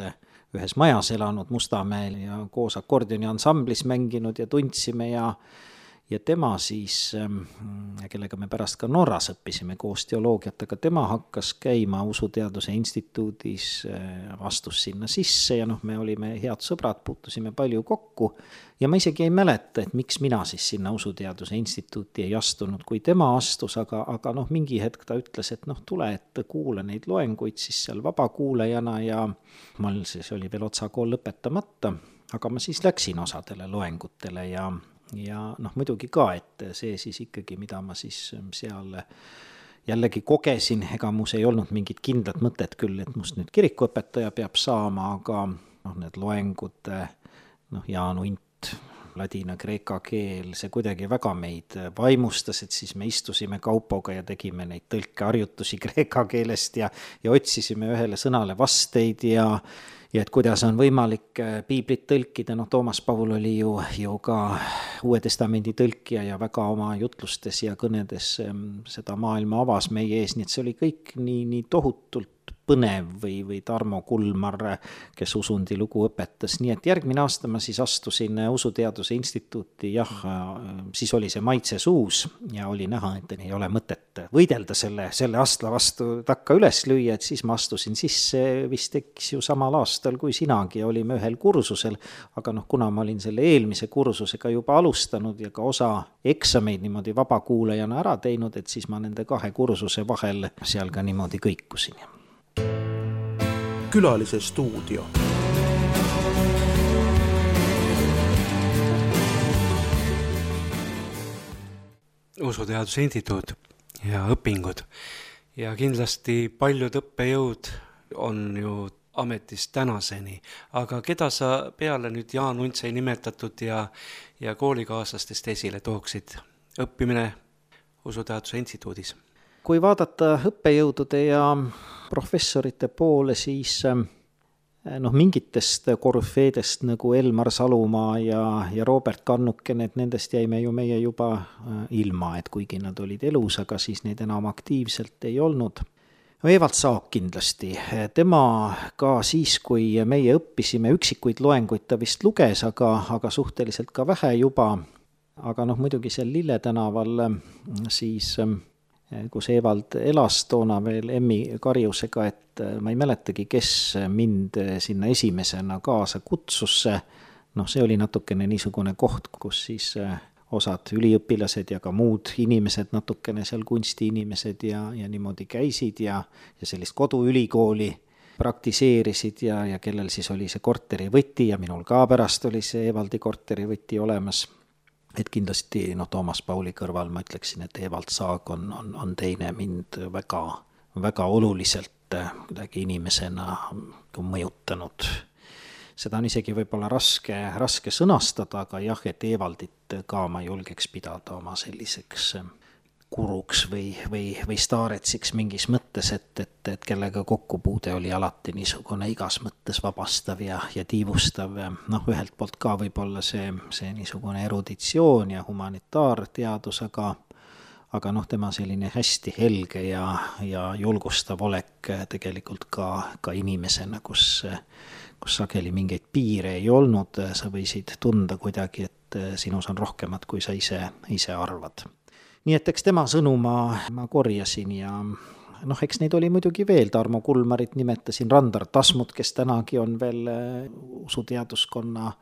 ühes majas elanud Mustamäel ja koos akordioni ansamblis mänginud ja tundsime ja tema siis, kellega me pärast ka Norras õppisime koos teoloogiat, aga tema hakkas käima usuteaduse instituudis, astus sinna sisse ja me olime head sõbrad, puutusime palju kokku ja ma isegi ei mäleta, et miks mina siis sinna usuteaduse instituuti ei astunud, kui tema astus, aga mingi hetk ta ütles, et tule, et kuula neid loenguid siis seal vabakuulajana ja mul siis oli veel otsakool lõpetamata, aga ma siis läksin osadele loengutele ja muidugi ka, et see siis ikkagi, mida ma siis seal jällegi kogesin, ega mus ei olnud mingit kindlat mõtet küll, et must nüüd kirikuõpetaja peab saama, aga need loengud, Jaan Unt, ladina, kreeka keel, see kuidagi väga meid vaimustas, et siis me istusime Kaupoga ja tegime neid tõlkeharjutusi kreeka keelest ja otsisime ühele sõnale vasteid ja et kuidas on võimalik piiblit tõlkida, Toomas Paul oli ju ka Uue Testamendi tõlkija ja väga oma jutlustes ja kõnedes seda maailma avas meie ees, nii et see oli kõik nii tohutult põnev või Tarmo Kulmar, kes usundi lugu õpetas, nii et järgmine aasta ma siis astusin usuteaduse instituuti, siis oli see maitse suus ja oli näha, et ei ole mõtet võidelda selle astla vastu takka üles lüüa, et siis ma astusin sisse vist eks ju samal aastal kui sinagi ja olime ühel kursusel, aga kuna ma olin selle eelmise kursusega juba alustanud ja ka osa eksameid niimoodi vabakuulajana ära teinud, et siis ma nende 2 kursuse vahel seal ka niimoodi kõikusin. Külalise stuudio. Usuteaduse Instituut ja õpingud. Ja kindlasti paljud õppejõud on ju ametis tänaseni, aga keda sa peale nüüd Jaan Untsei nimetatud ja koolikaaslastest esile tooksid? Õppimine Usuteaduse Instituudis. Kui vaadata õppejõudude ja professorite poole, siis mingitest korüfeedest nagu Elmar Salumaa ja Robert Kannuken, et nendest jäime ju meie juba ilma, et kuigi nad olid elus, aga siis neid enam aktiivselt ei olnud. Evald Saag kindlasti, tema ka siis, kui meie õppisime, üksikuid loenguid ta vist luges, aga suhteliselt ka vähe juba, aga muidugi seal Lille tänaval siis kus Evald elas toona veel Emmi Karjusega, et ma ei mäletagi, kes mind sinna esimesena kaasa kutsus. See oli natukene niisugune koht, kus siis osad üliõpilased ja ka muud inimesed, natukene seal kunstiinimesed ja niimoodi käisid ja sellist koduülikooli praktiseerisid ja kellel siis oli see korterivõti ja minul ka pärast oli see Evaldi korterivõti olemas. Et kindlasti Toomas Pauli kõrval ma ütleksin, et Evald Saag on teine mind väga, väga oluliselt kuidagi inimesena mõjutanud. Seda on isegi võib-olla raske sõnastada, aga jah, et Evaldit ka ma julgeks pidada oma selliseks kuruks või staaretsiks mingis mõttes, et kellega kokkupuude oli alati niisugune igas mõttes vabastav ja tiivustav. Ühelt poolt ka võib-olla see niisugune eruditsioon ja humanitaarteadus, aga tema selline hästi helge ja julgustav olek tegelikult ka inimesena, kus sageli mingeid piire ei olnud, sa võisid tunda kuidagi, et sinus on rohkemat, kui sa ise arvad. Nii et eks tema sõnu ma korjasin ja eks neid oli muidugi veel, Tarmo Kulmarit nimetasin, Randar Tasmut, kes tänagi on veel usuteaduskonna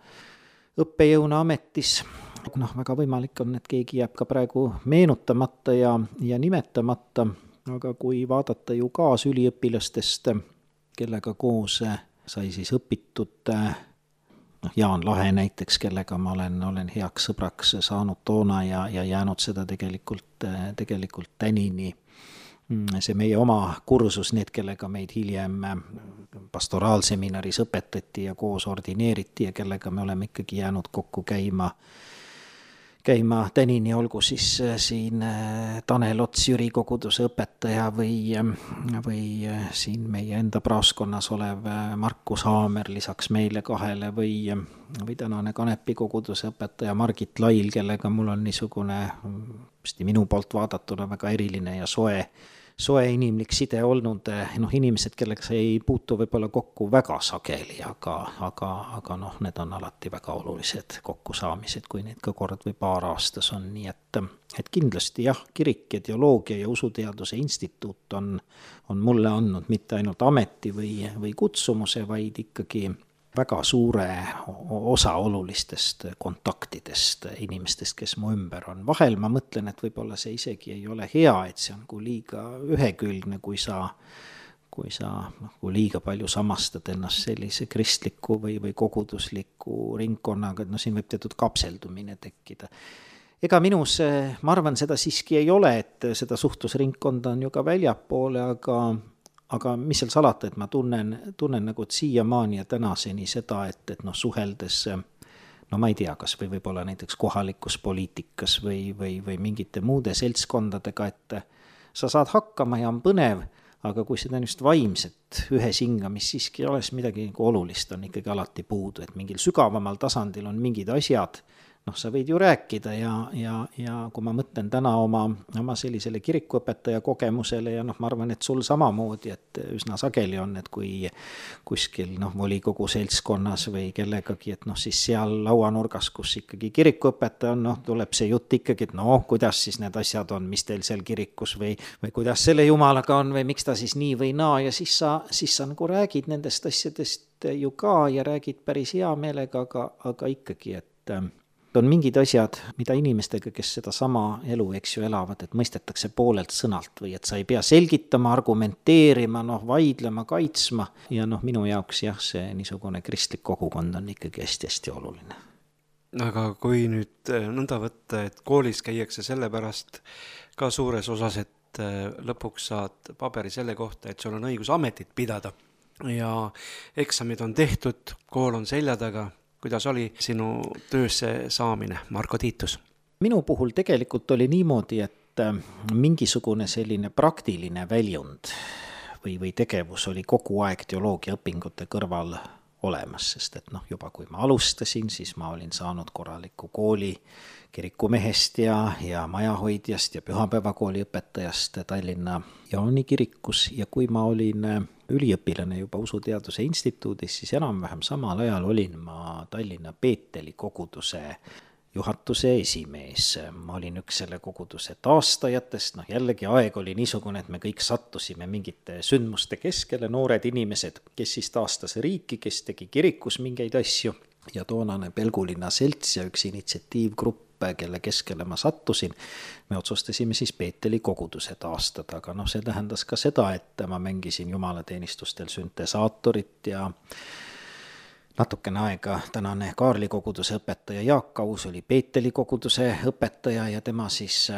õppejõuna ametis. Väga võimalik on, et keegi jääb ka praegu meenutamata ja nimetamata, aga kui vaadata ju kaasüliõpilastest, kellega koos sai siis õpitud Jaan Lahe näiteks, kellega ma olen heaks sõbraks saanud toona ja jäänud seda tegelikult tänini. See meie oma kursus, need, kellega meid hiljem pastoraalseminaris õpetati ja koos ordineeriti ja kellega me oleme ikkagi jäänud kokku käima tänini, olgu siis siin Tanel Ots, Jüri koguduse õpetaja või siin meie enda praoskonnas olev Markus Haamer lisaks meile kahele või tänane Kanepi koguduse õpetaja Margit Lail, kellega mul on niisugune minu poolt vaadatuna väga eriline ja soe inimlik side olnud, inimesed, kellega sa ei puutu võib-olla kokku väga sageli, aga need on alati väga olulised kokkusaamised, kui neid ka kord või paar aastas on, nii et kindlasti jah, kirik ja teoloogia ja usuteaduse instituut on mulle andnud mitte ainult ameti või kutsumuse, vaid ikkagi väga suure osa olulistest kontaktidest inimestest, kes mu ümber on. Vahel ma mõtlen, et võib-olla see isegi ei ole hea, et see on kui liiga ühekülgne, kui sa liiga palju samastad ennast sellise kristliku või kogudusliku ringkonnaga, et siin võib teatud kapseldumine tekkida. Ega minus, ma arvan, seda siiski ei ole, et seda suhtlusringkonda on ju ka väljapoole, aga mis seal salata, et ma tunnen nagu siiamaani ja tänaseni seda, et suheldes, ma ei tea, kas või võib-olla näiteks kohalikus poliitikas või mingite muude seltskondadega, et sa saad hakkama ja on põnev, aga kui seda just vaimset ühes hingamist siiski ei ole, midagi olulist on ikkagi alati puudu, et mingil sügavamal tasandil on mingid asjad, sa võid ju rääkida ja kui ma mõtlen täna oma sellisele kirikuõpetaja kogemusele ja ma arvan, et sul samamoodi, et üsna sageli on, et kui kuskil volikogu seltskonnas või kellegagi, et siis seal lauanurgas, kus ikkagi kirikuõpetaja on, tuleb see jutt ikkagi, et kuidas siis need asjad on, mis teil seal kirikus või kuidas selle jumalaga on või miks ta siis nii või naa ja siis sa nagu räägid nendest asjadest ju ka ja räägid päris hea meelega, aga ikkagi, et on mingid asjad, mida inimestega, kes seda sama elu, elavad, et mõistetakse poolelt sõnalt või et sa ei pea selgitama, argumenteerima, vaidlema, kaitsma ja minu jaoks jah, see niisugune kristlik kogukond on ikkagi hästi-hästi oluline. aga kui nüüd nõnda võtta, et koolis käiakse sellepärast ka suures osas, et lõpuks saad paberi selle kohta, et sul on õigus ametit pidada ja eksamid on tehtud, kool on selja taga, kuidas oli sinu töösse saamine, Marko Tiitus? Minu puhul tegelikult oli niimoodi, et mingisugune selline praktiline väljund või tegevus oli kogu aeg teoloogia õpingute kõrval olemas, sest et juba kui ma alustasin, siis ma olin saanud korraliku kooli kirikumehest ja majahoidjast ja pühapäevakooli õpetajast Tallinna Jaani kirikus ja kui ma olin üliõpilane juba Usuteaduse Instituudis, siis enam-vähem samal ajal olin ma Tallinna Peeteli koguduse juhatuse esimees. Ma olin üks selle koguduse taastajatest, jällegi aeg oli niisugune, et me kõik sattusime mingite sündmuste keskele, noored inimesed, kes siis taastas riiki, kes tegi kirikus mingeid asju ja toonane Pelgulinna selts ja üks initsiatiivgrupp, kelle keskele ma sattusin, me otsustasime siis Peeteli koguduse taastada, aga see tähendas ka seda, et ma mängisin jumalateenistustel süntesaatorit ja natukene aega tänane Kaarli koguduse õpetaja Jaak Aus oli Peeteli koguduse õpetaja ja tema siis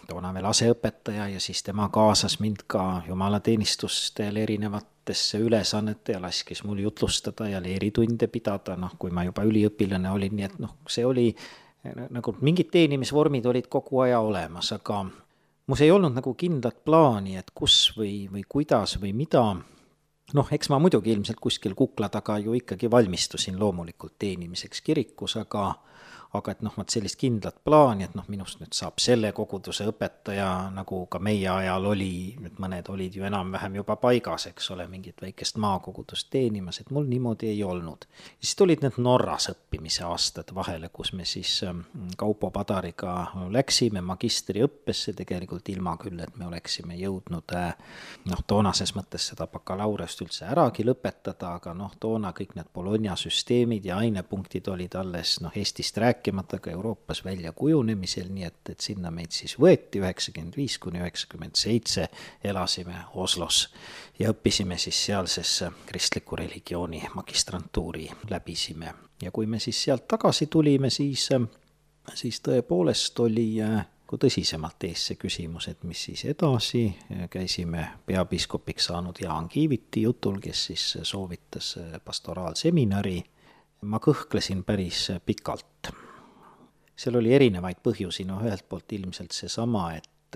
toona veel aseõpetaja ja siis tema kaasas mind ka jumalateenistustel erinevatesse ülesannete ja laskis mul jutlustada ja leeritunde pidada, kui ma juba üliõpilane olin, nii et see oli nagu mingid teenimisvormid olid kogu aja olemas, aga mus ei olnud nagu kindlat plaani, et kus või kuidas või mida. Eks ma muidugi ilmselt kuskil kukla taga ju ikkagi valmistusin loomulikult teenimiseks kirikus, aga et sellist kindlat plaani, et minust nüüd saab selle koguduse õpetaja, nagu ka meie ajal oli, nüüd mõned olid ju enam-vähem juba paigas, eks ole, mingit väikest maakogudust teenimas, et mul niimoodi ei olnud. Ja siis tulid need Norras õppimise aastad vahele, kus me siis Kaupo Padariga läksime magistriõppesse, tegelikult ilma küll, et me oleksime jõudnud toonases mõttes seda bakalaureust üldse äragi lõpetada, aga toona kõik need Bologna süsteemid ja ainepunktid olid alles Eestist rääkimata ka Euroopas välja kujunemisel, nii et sinna meid siis võeti 95–97, elasime Oslos ja õppisime siis sealses kristliku religiooni magistrantuuri läbisime. Ja kui me siis sealt tagasi tulime, siis tõepoolest oli kui tõsisemalt ees see küsimus, et mis siis edasi, käisime peapiiskopiks saanud Jaan Kiiviti jutul, kes siis soovitas pastoraalseminari. Ma kõhklesin päris pikalt. Seal oli erinevaid põhjusi, ühelt poolt ilmselt seesama, et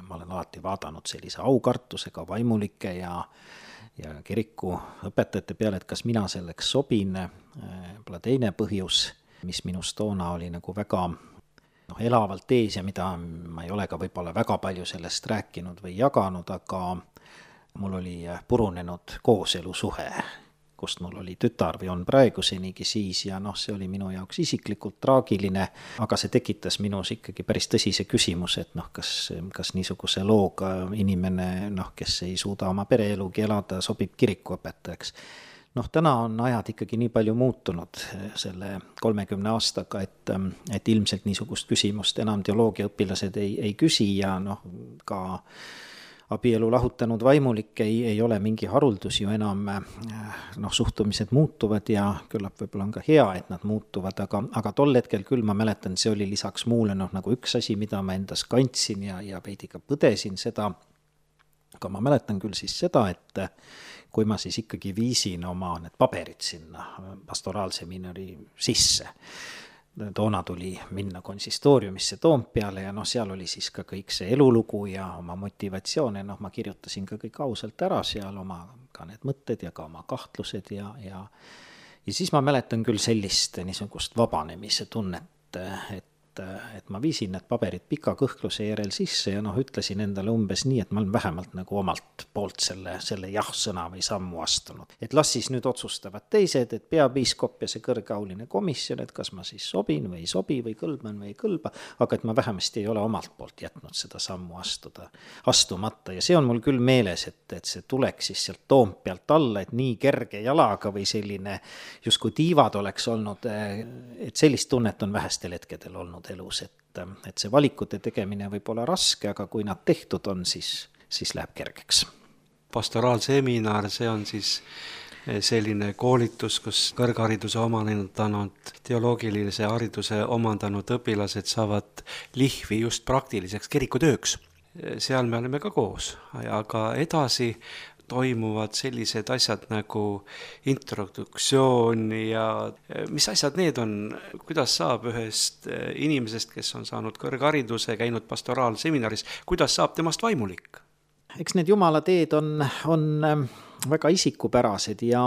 ma olen alati vaadanud sellise aukartusega vaimulike ja kiriku õpetajate peale, et kas mina selleks sobin. Võib-olla teine põhjus, mis minust toona oli nagu väga elavalt ees ja mida ma ei ole ka võib-olla väga palju sellest rääkinud või jaganud, aga mul oli purunenud kooselusuhe, kust mul oli tütar või on praegusenigi siis ja see oli minu jaoks isiklikult traagiline, aga see tekitas minus ikkagi päris tõsise küsimus, et kas niisuguse looga inimene, kes ei suuda oma pereelugi elada, sobib kirikuõpetajaks. Täna on ajad ikkagi nii palju muutunud selle 30 aastaga, et ilmselt niisugust küsimust enam teoloogiaõpilased ei küsi ja ka abielu lahutanud vaimulik ei ole mingi haruldus ju enam, suhtumised muutuvad ja küllap võib-olla on ka hea, et nad muutuvad, aga tol hetkel küll ma mäletan, see oli lisaks muule nagu üks asi, mida ma endas kandsin ja veidi ka põdesin seda, aga ma mäletan küll siis seda, et kui ma siis ikkagi viisin oma need paberid sinna pastoraalseminari sisse, toona tuli minna konsistooriumisse Toompeale ja seal oli siis ka kõik see elulugu ja oma motivatsioon ja ma kirjutasin ka kõik ausalt ära seal oma ka need mõtted ja ka oma kahtlused ja siis ma mäletan küll sellist niisugust vabanemise tunnet, et ma viisin need paberid pika kõhkluse järel sisse ja ütlesin endale umbes nii, et ma olen vähemalt nagu omalt poolt selle jah-sõna või sammu astunud. Et las siis nüüd otsustavad teised, et peapiiskop ja see kõrgeauline komisjon, et kas ma siis sobin või ei sobi või kõlban või ei kõlba, aga et ma vähemasti ei ole omalt poolt jätnud seda sammu astumata ja see on mul küll meeles, et see tuleks siis sealt Toompealt alla, et nii kerge jalaga või selline justkui tiivad oleks olnud, et sellist tunnet on vähestel hetkedel olnud elus, et see valikute tegemine võib olla raske, aga kui nad tehtud on, siis läheb kergeks. Pastoraalseminar, see on siis selline koolitus, kus kõrghariduse omandanud, teoloogilise hariduse omandanud õpilased saavad lihvi just praktiliseks kirikutööks. Seal me oleme ka koos, aga edasi toimuvad sellised asjad nagu introduktsioon ja mis asjad need on, kuidas saab ühest inimesest, kes on saanud kõrghariduse, käinud pastoraalseminaris, kuidas saab temast vaimulik? Eks need jumala teed on väga isikupärased ja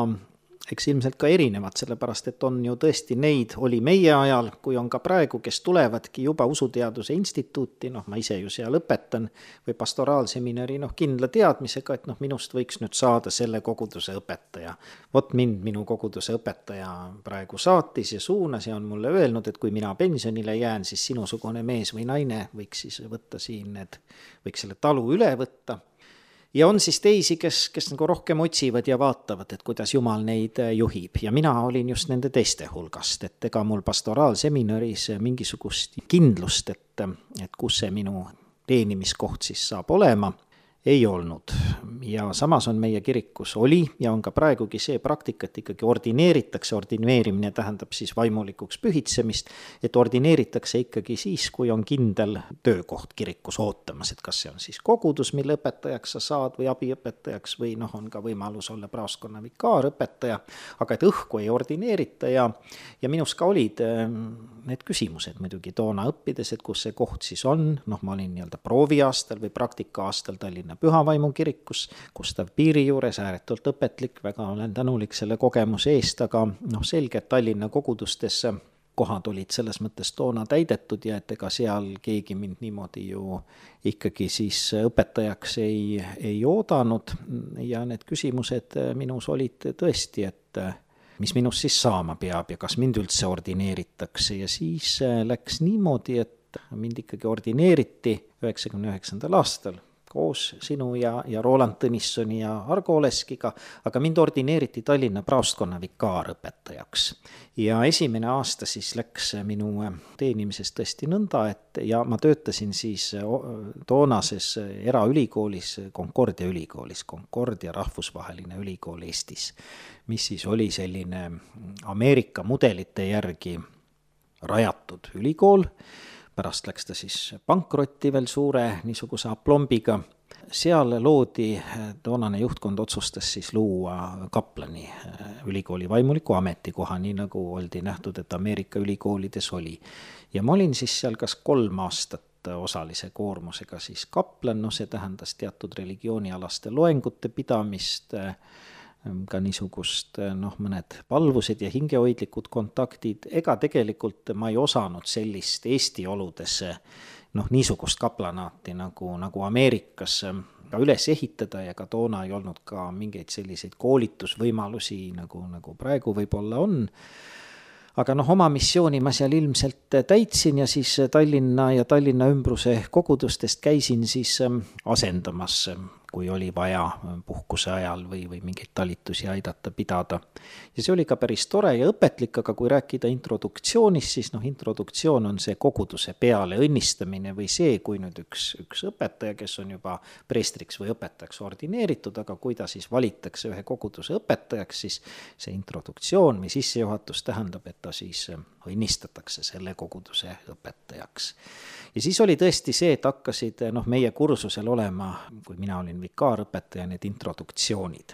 eks ilmselt ka erinevad, sellepärast et on ju tõesti neid, oli meie ajal, kui on ka praegu, kes tulevadki juba usuteaduse instituuti, ma ise ju seal õpetan, või pastoraalseminari, kindla teadmisega, et minust võiks nüüd saada selle koguduse õpetaja. Vot minu koguduse õpetaja praegu saatis ja suunas ja on mulle öelnud, et kui mina pensionile jään, siis sinusugune mees või naine võiks siis võtta siin, võiks selle talu üle võtta. Ja on siis teisi, kes nagu rohkem otsivad ja vaatavad, et kuidas Jumal neid juhib. Ja mina olin just nende teiste hulgast, et ega mul pastoraalseminaris mingisugust kindlust, et kus see minu teenimiskoht siis saab olema, ei olnud. Ja samas on meie kirikus oli ja on ka praegugi see praktika, et ikkagi ordineeritakse, ordineerimine tähendab siis vaimulikuks pühitsemist, et ordineeritakse ikkagi siis, kui on kindel töökoht kirikus ootamas, et kas see on siis kogudus, mille õpetajaks sa saad või abiõpetajaks või on ka võimalus olla praoskonna vikaarõpetaja, aga et õhku ei ordineerita ja minus ka olid need küsimused muidugi toona õppides, et kus see koht siis on, ma olin prooviaastal või praktika-aastal Tallinna Pühavaimu kirikus, Gustav Piiri juures, ääretult õpetlik, väga olen tänulik selle kogemuse eest, aga selge, et Tallinna kogudustes kohad olid selles mõttes toona täidetud ja et ega seal keegi mind niimoodi ju ikkagi siis õpetajaks ei oodanud ja need küsimused minus olid tõesti, et mis minust siis saama peab ja kas mind üldse ordineeritakse ja siis läks niimoodi, et mind ikkagi ordineeriti 99. aastal koos sinu ja Roland Tõnissoni ja Argo Oleskiga, aga mind ordineeriti Tallinna praostkonna vikaarõpetajaks. Ja esimene aasta siis läks minu teenimisest tõesti nõnda, et ja ma töötasin siis toonases eraülikoolis, Concordia ülikoolis, Concordia rahvusvaheline ülikool Eestis, mis siis oli selline Ameerika mudelite järgi rajatud ülikool. Pärast läks ta siis pankrotti veel suure niisuguse aplombiga. Seal loodi, toonane juhtkond otsustas siis luua kaplani ülikooli vaimuliku ametikoha, nii nagu oldi nähtud, et Ameerika ülikoolides oli. Ja ma olin siis seal kas 3 aastat osalise koormusega siis kaplan, see tähendas teatud religioonialaste loengute pidamist, ka niisugust mõned palvused ja hingehoidlikud kontaktid, ega tegelikult ma ei osanud sellist Eesti oludes niisugust kaplanaati nagu Ameerikas ka üles ehitada ja ka toona ei olnud ka mingeid selliseid koolitusvõimalusi nagu praegu võib-olla on. Aga oma missiooni ma seal ilmselt täitsin ja siis Tallinna ja Tallinna ümbruse kogudustest käisin siis asendamas, kui oli vaja puhkuse ajal või mingeid talitusi aidata pidada. Ja see oli ka päris tore ja õpetlik, aga kui rääkida introduktsioonist, siis introduktsioon on see koguduse peale õnnistamine või see, kui nüüd üks õpetaja, kes on juba preestriks või õpetajaks ordineeritud, aga kui ta siis valitakse ühe koguduse õpetajaks, siis see introduktsioon või sissejuhatus tähendab, et ta siis õnnistatakse selle koguduse õpetajaks. Ja siis oli tõesti see, et hakkasid meie kursusel olema, kui mina olin vikaarõpetaja, need introduktsioonid.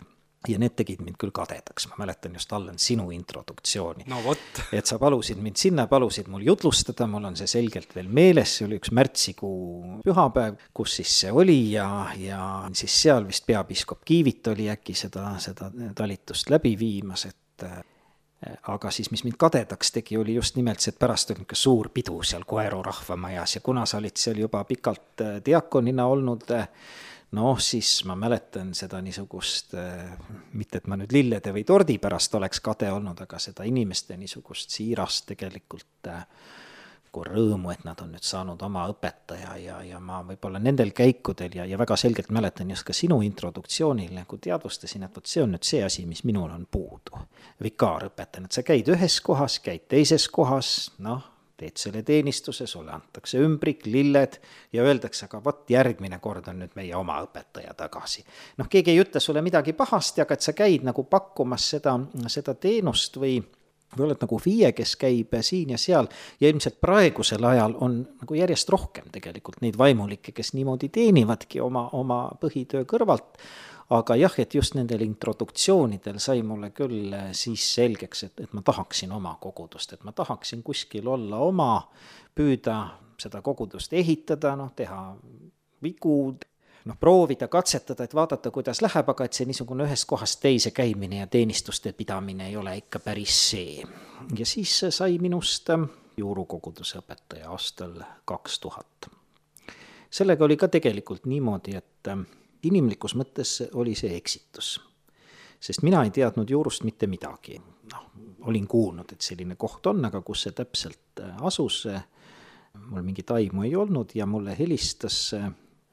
Ja need tegid mind küll kadedaks, ma mäletan just Allan sinu introduktsiooni. No vot. Et sa palusid mind sinna, palusid mul jutlustada, mul on see selgelt veel meeles, see oli üks märtsikuu pühapäev, kus siis see oli ja siis seal vist peapiiskop Kiivit oli äkki seda talitust läbi viimas, aga siis, mis mind kadedaks tegi, oli just nimelt see, et pärast oli ka suur pidu seal Koeru rahvamajas ja kuna sa olid seal juba pikalt diakonina olnud, siis ma mäletan seda niisugust, mitte et ma nüüd lillede või tordi pärast oleks kade olnud, aga seda inimeste niisugust siirast tegelikult rõõmu, et nad on nüüd saanud oma õpetaja ja ma võib-olla nendel käikudel ja väga selgelt mäletan just ka sinu introduktsioonil teadvustasin, et see on nüüd see asi, mis minul on puudu. Vikaarõpetajana, et sa käid ühes kohas, käid teises kohas, teed selle teenistuse, sulle antakse ümbrik, lilled ja öeldakse, aga vot järgmine kord on nüüd meie oma õpetaja tagasi. Noh, keegi ei ütle sulle midagi pahasti, aga et sa käid nagu pakkumas seda teenust või oled nagu FIE, kes käib siin ja seal ja ilmselt praegusel ajal on nagu järjest rohkem tegelikult neid vaimulikke, kes niimoodi teenivadki oma põhitöö kõrvalt. Aga jah, et just nendel introduktsioonidel sai mulle küll siis selgeks, et ma tahaksin oma kogudust, et ma tahaksin kuskil olla oma, püüda seda kogudust ehitada, teha vigu, proovida, katsetada, et vaadata, kuidas läheb, aga et see niisugune ühest kohast teise käimine ja teenistuste pidamine ei ole ikka päris see. Ja siis sai minust juurukoguduse õpetaja aastal 2000. Sellega oli ka tegelikult niimoodi, et inimlikus mõttes oli see eksitus, sest mina ei teadnud juurust mitte midagi. Olin kuulnud, et selline koht on, aga kus see täpselt asus, mul mingit aimu ei olnud ja mulle helistas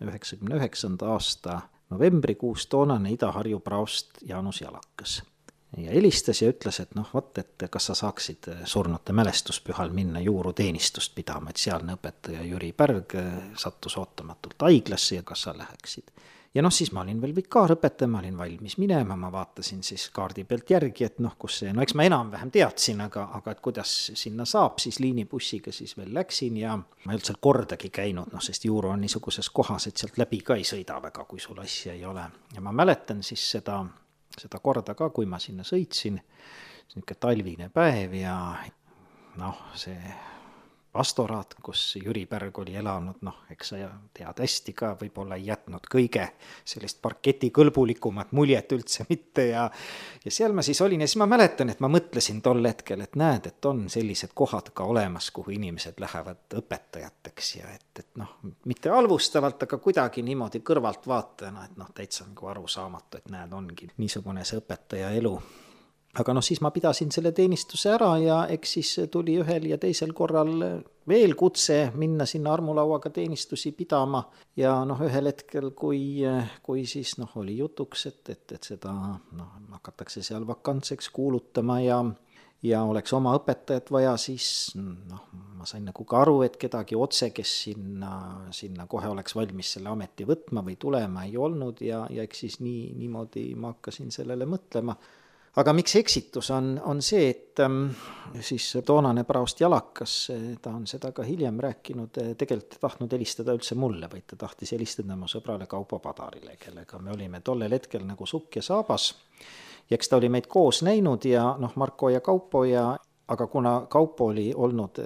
1999. aasta novembrikuus toonane Ida-Harju praost Jaanus Jalakas. Ja helistas ja ütles, et et kas sa saaksid surnute mälestuspühal minna juuruteenistust pidama, et sealne õpetaja Jüri Pärg sattus ootamatult haiglasse ja kas sa läheksid. Ja siis ma olin veel vikaarõpetaja, ma olin valmis minema, ma vaatasin siis kaardi pealt järgi, et kus see, eks ma enam-vähem teadsin, aga et kuidas sinna saab, siis liinibussiga siis veel läksin ja ma ei olnud seal kordagi käinud, sest juuru on niisuguses kohas, et sealt läbi ka ei sõida väga, kui sul asja ei ole. Ja ma mäletan siis seda korda ka, kui ma sinna sõitsin, niisugune talvine päev ja see pastoraat, kus Jüri Pärg oli elanud, eks sa tead hästi ka, võib-olla ei jätnud kõige sellist parketi kõlbulikumat muljet üldse mitte ja seal ma siis olin ja siis ma mäletan, et ma mõtlesin tol hetkel, et näed, et on sellised kohad ka olemas, kuhu inimesed lähevad õpetajateks ja et mitte halvustavalt, aga kuidagi niimoodi kõrvalt vaatajana, et täitsa nagu arusaamatu, et näed, ongi niisugune see õpetaja elu. Aga siis ma pidasin selle teenistuse ära ja eks siis tuli ühel ja teisel korral veel kutse minna sinna armulauaga teenistusi pidama ja ühel hetkel, kui siis oli jutuks, et seda hakatakse seal vakantseks kuulutama ja oleks oma õpetajat vaja, siis ma sain nagu ka aru, et kedagi otse, kes sinna kohe oleks valmis selle ameti võtma või tulema ei olnud ja eks siis niimoodi ma hakkasin sellele mõtlema. Aga miks eksitus on see, et siis toonane praost Jalakas, ta on seda ka hiljem rääkinud, tegelikult tahtnud helistada üldse mulle, vaid ta tahtis helistada oma sõbrale Kaupo Padarile, kellega me olime tollel hetkel nagu sukk ja saabas. Ja eks ta oli meid koos näinud ja Marko ja Kaupo aga kuna Kaupo oli olnud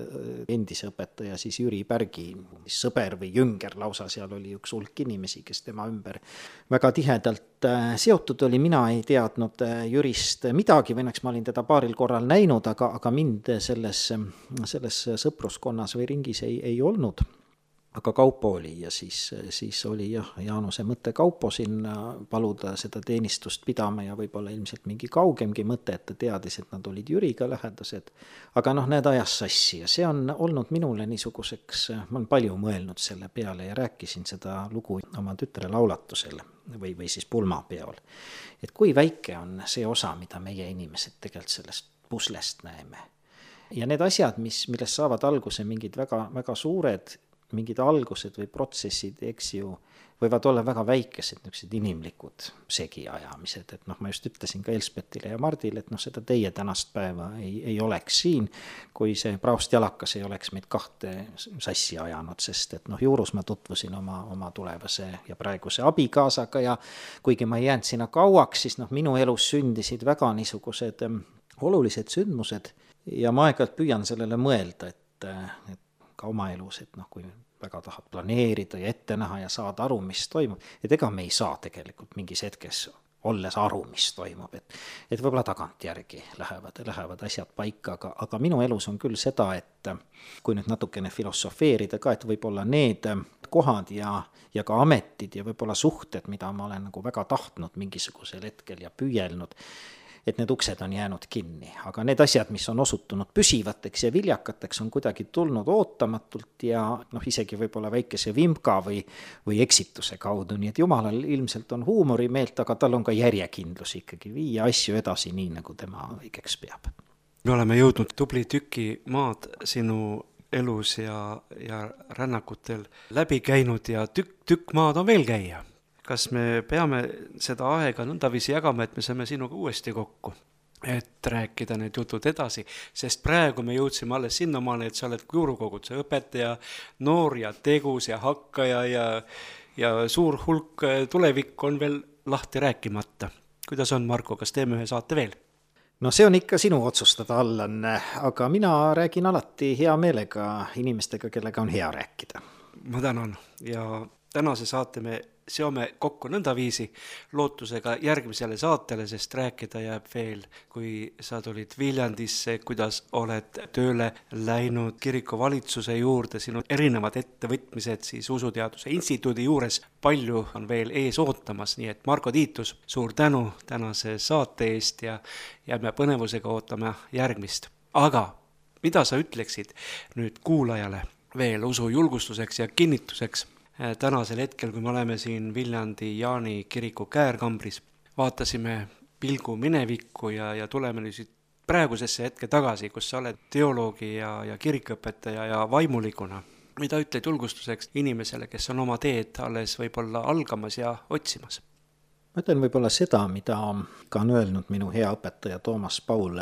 endise õpetaja, siis Jüri Pärgi sõber või jünger lausa, seal oli üks hulk inimesi, kes tema ümber väga tihedalt seotud oli, mina ei teadnud Jürist midagi, või ma olin teda paaril korral näinud, aga mind selles sõpruskonnas või ringis ei olnud. Aga Kaupo oli ja siis oli Jaanuse mõte Kaupo sinna paluda seda teenistust pidama ja võib-olla ilmselt mingi kaugemgi mõte, et ta teadis, et nad olid Jüriga lähedased. Aga need ajas sassi ja see on olnud minule niisuguseks, ma olen palju mõelnud selle peale ja rääkisin seda lugu oma tütre laulatusel või siis pulmapeol. Et kui väike on see osa, mida meie inimesed tegelikult sellest puslest näeme. Ja need asjad, millest saavad alguse mingid väga, väga suured mingid algused või protsessid, eks ju, võivad olla väga väikesed niisugused inimlikud segiajamised, et ma just ütlesin ka Elspetile ja Mardile, et seda teie tänast päeva ei oleks siin, kui see praost Jalakas ei oleks meid kahte sassi ajanud, sest et juurus ma tutvusin oma tulevase ja praeguse abikaasaga ja kuigi ma ei jäänud sinna kauaks, siis minu elus sündisid väga niisugused olulised sündmused ja ma aeg-ajalt püüan sellele mõelda, et ka oma elus, et kui väga tahad planeerida ja ette näha ja saada aru, mis toimub, et ega me ei saa tegelikult mingis hetkes olles aru, mis toimub, et võib-olla tagantjärgi lähevad asjad paika, aga minu elus on küll seda, et kui nüüd natukene filosofeerida ka, et võib-olla need kohad ja ka ametid ja võib-olla suhted, mida ma olen nagu väga tahtnud mingisugusel hetkel ja püüelnud, et need uksed on jäänud kinni, aga need asjad, mis on osutunud püsivateks ja viljakateks, on kuidagi tulnud ootamatult ja isegi võib-olla väikese vimka või eksituse kaudu, nii et Jumalal ilmselt on huumorimeelt, aga tal on ka järjekindlus ikkagi viia asju edasi nii, nagu tema õigeks peab. Me oleme jõudnud tubli tüki maad sinu elus ja rännakutel läbi käinud ja tükk maad on veel käia. Kas me peame seda aega nõndaviisi jagama, et me saame sinuga uuesti kokku, et rääkida need jutud edasi, sest praegu me jõudsime alles sinnamaale, et sa oled juurukoguduse õpetaja, noor ja tegus ja hakkaja ja suur hulk tulevik on veel lahti rääkimata. Kuidas on, Marko, kas teeme ühe saate veel? No see on ikka sinu otsustada, Allan, aga mina räägin alati hea meelega inimestega, kellega on hea rääkida. Ma tänan ja tänase saate me seome kokku nõndaviisi lootusega järgmisele saatele, sest rääkida jääb veel, kui sa tulid Viljandisse, kuidas oled tööle läinud kiriku valitsuse juurde, sinu erinevad ettevõtmised siis Usuteaduse Instituudi juures, palju on veel ees ootamas, nii et Marko Tiitus, suur tänu tänase saate eest ja jääme põnevusega ootama järgmist. Aga mida sa ütleksid nüüd kuulajale veel usu julgustuseks ja kinnituseks? Tänasel hetkel, kui me oleme siin Viljandi Jaani kiriku käärkambris, vaatasime pilgu minevikku ja tuleme nüüd praegusesse hetke tagasi, kus sa oled teoloogi ja kirikõpetaja ja vaimulikuna. Mida ütled julgustuseks inimesele, kes on oma teed alles võib-olla algamas ja otsimas? Ma ütlen võib-olla seda, mida ka on öelnud minu hea õpetaja Toomas Paul,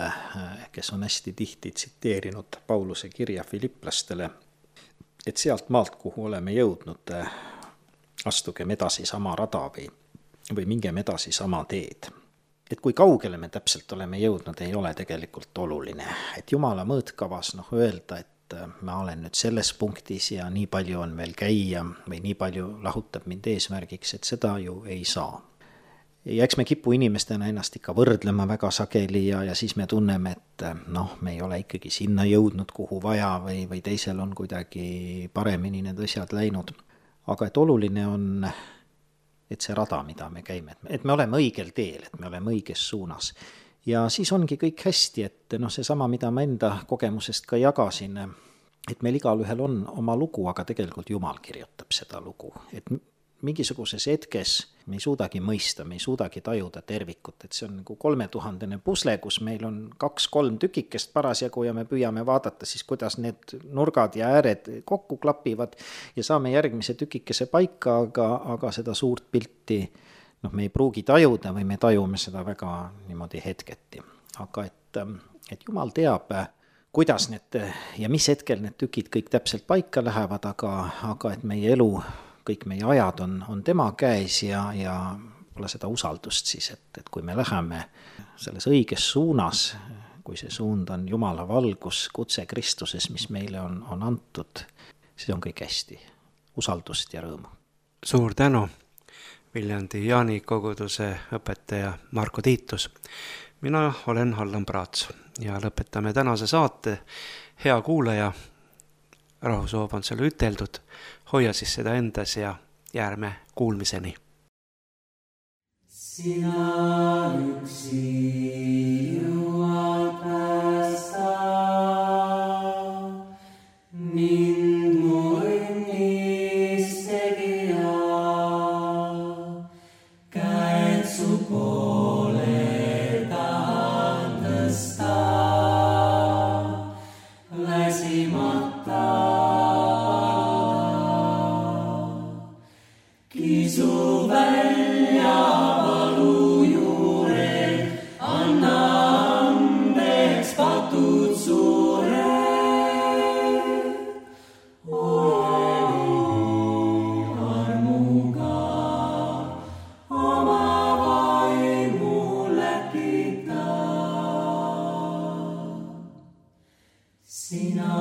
kes on hästi tihti tsiteerinud Pauluse kirja Filipplastele, et sealt maalt, kuhu oleme jõudnud, astugem edasi sama rada või mingem edasi sama teed. Et kui kaugele me täpselt oleme jõudnud, ei ole tegelikult oluline. Et Jumala mõõtkavas öelda, et ma olen nüüd selles punktis ja nii palju on veel käia või nii palju lahutab mind eesmärgiks, et seda ju ei saa. Ja eks me kipu inimestena ennast ikka võrdlema väga sageli ja siis me tunneme, et me ei ole ikkagi sinna jõudnud, kuhu vaja või teisel on kuidagi paremini need asjad läinud. Aga et oluline on, et see rada, mida me käime, et me oleme õigel teel, et me oleme õiges suunas. Ja siis ongi kõik hästi, et seesama, mida ma enda kogemusest ka jagasin, et meil igal ühel on oma lugu, aga tegelikult Jumal kirjutab seda lugu, et mingisuguses hetkes me ei suudagi mõista, me ei suudagi tajuda tervikut, et see on nagu 3000 pusle, kus meil on 2-3 tükikest parasjagu ja me püüame vaadata siis, kuidas need nurgad ja ääred kokku klapivad ja saame järgmise tükikese paika, aga seda suurt pilti me ei pruugi tajuda või me tajume seda väga niimoodi hetketi. Aga et Jumal teab, kuidas need ja mis hetkel need tükid kõik täpselt paika lähevad, aga et meie elu, kõik meie ajad on tema käes ja pole seda usaldust siis, et kui me läheme selles õiges suunas, kui see suund on Jumala valgus, kutse Kristuses, mis meile on antud, siis on kõik hästi. Usaldust ja rõõmu. Suur tänu, Viljandi Jaani koguduse õpetaja Marko Tiitus. Mina olen Allan Praats ja lõpetame tänase saate. Hea kuulaja, rahusoov on selle üteldud, hoia siis seda endas ja järme kuulmiseni. Sina üksi jõuad päästa mind mu õnnis tegija, käed su poole tahan tõsta, väsimata kisu välja valu juurel, anna andeks patud suure. Ole nii armuga oma vaimu läkita. Sina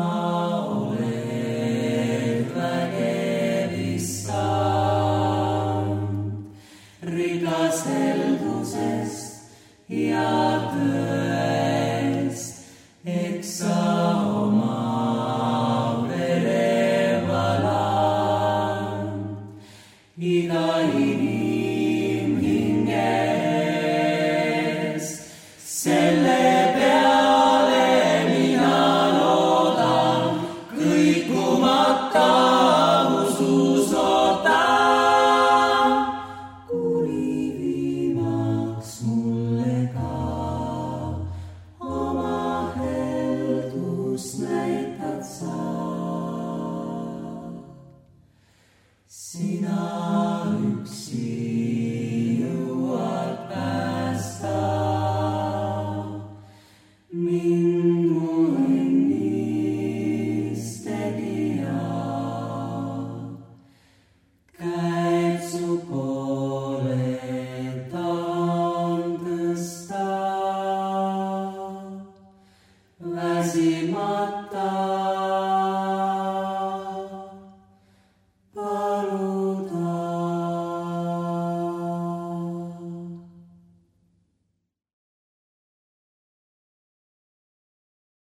oled vägev issand, rikas heldusest ja tõest, eks sa oma vere valand iga inimhinges. Selle peale mina loodan, kõikumata usus ootan, kuni viimaks mulle ka. väsimata.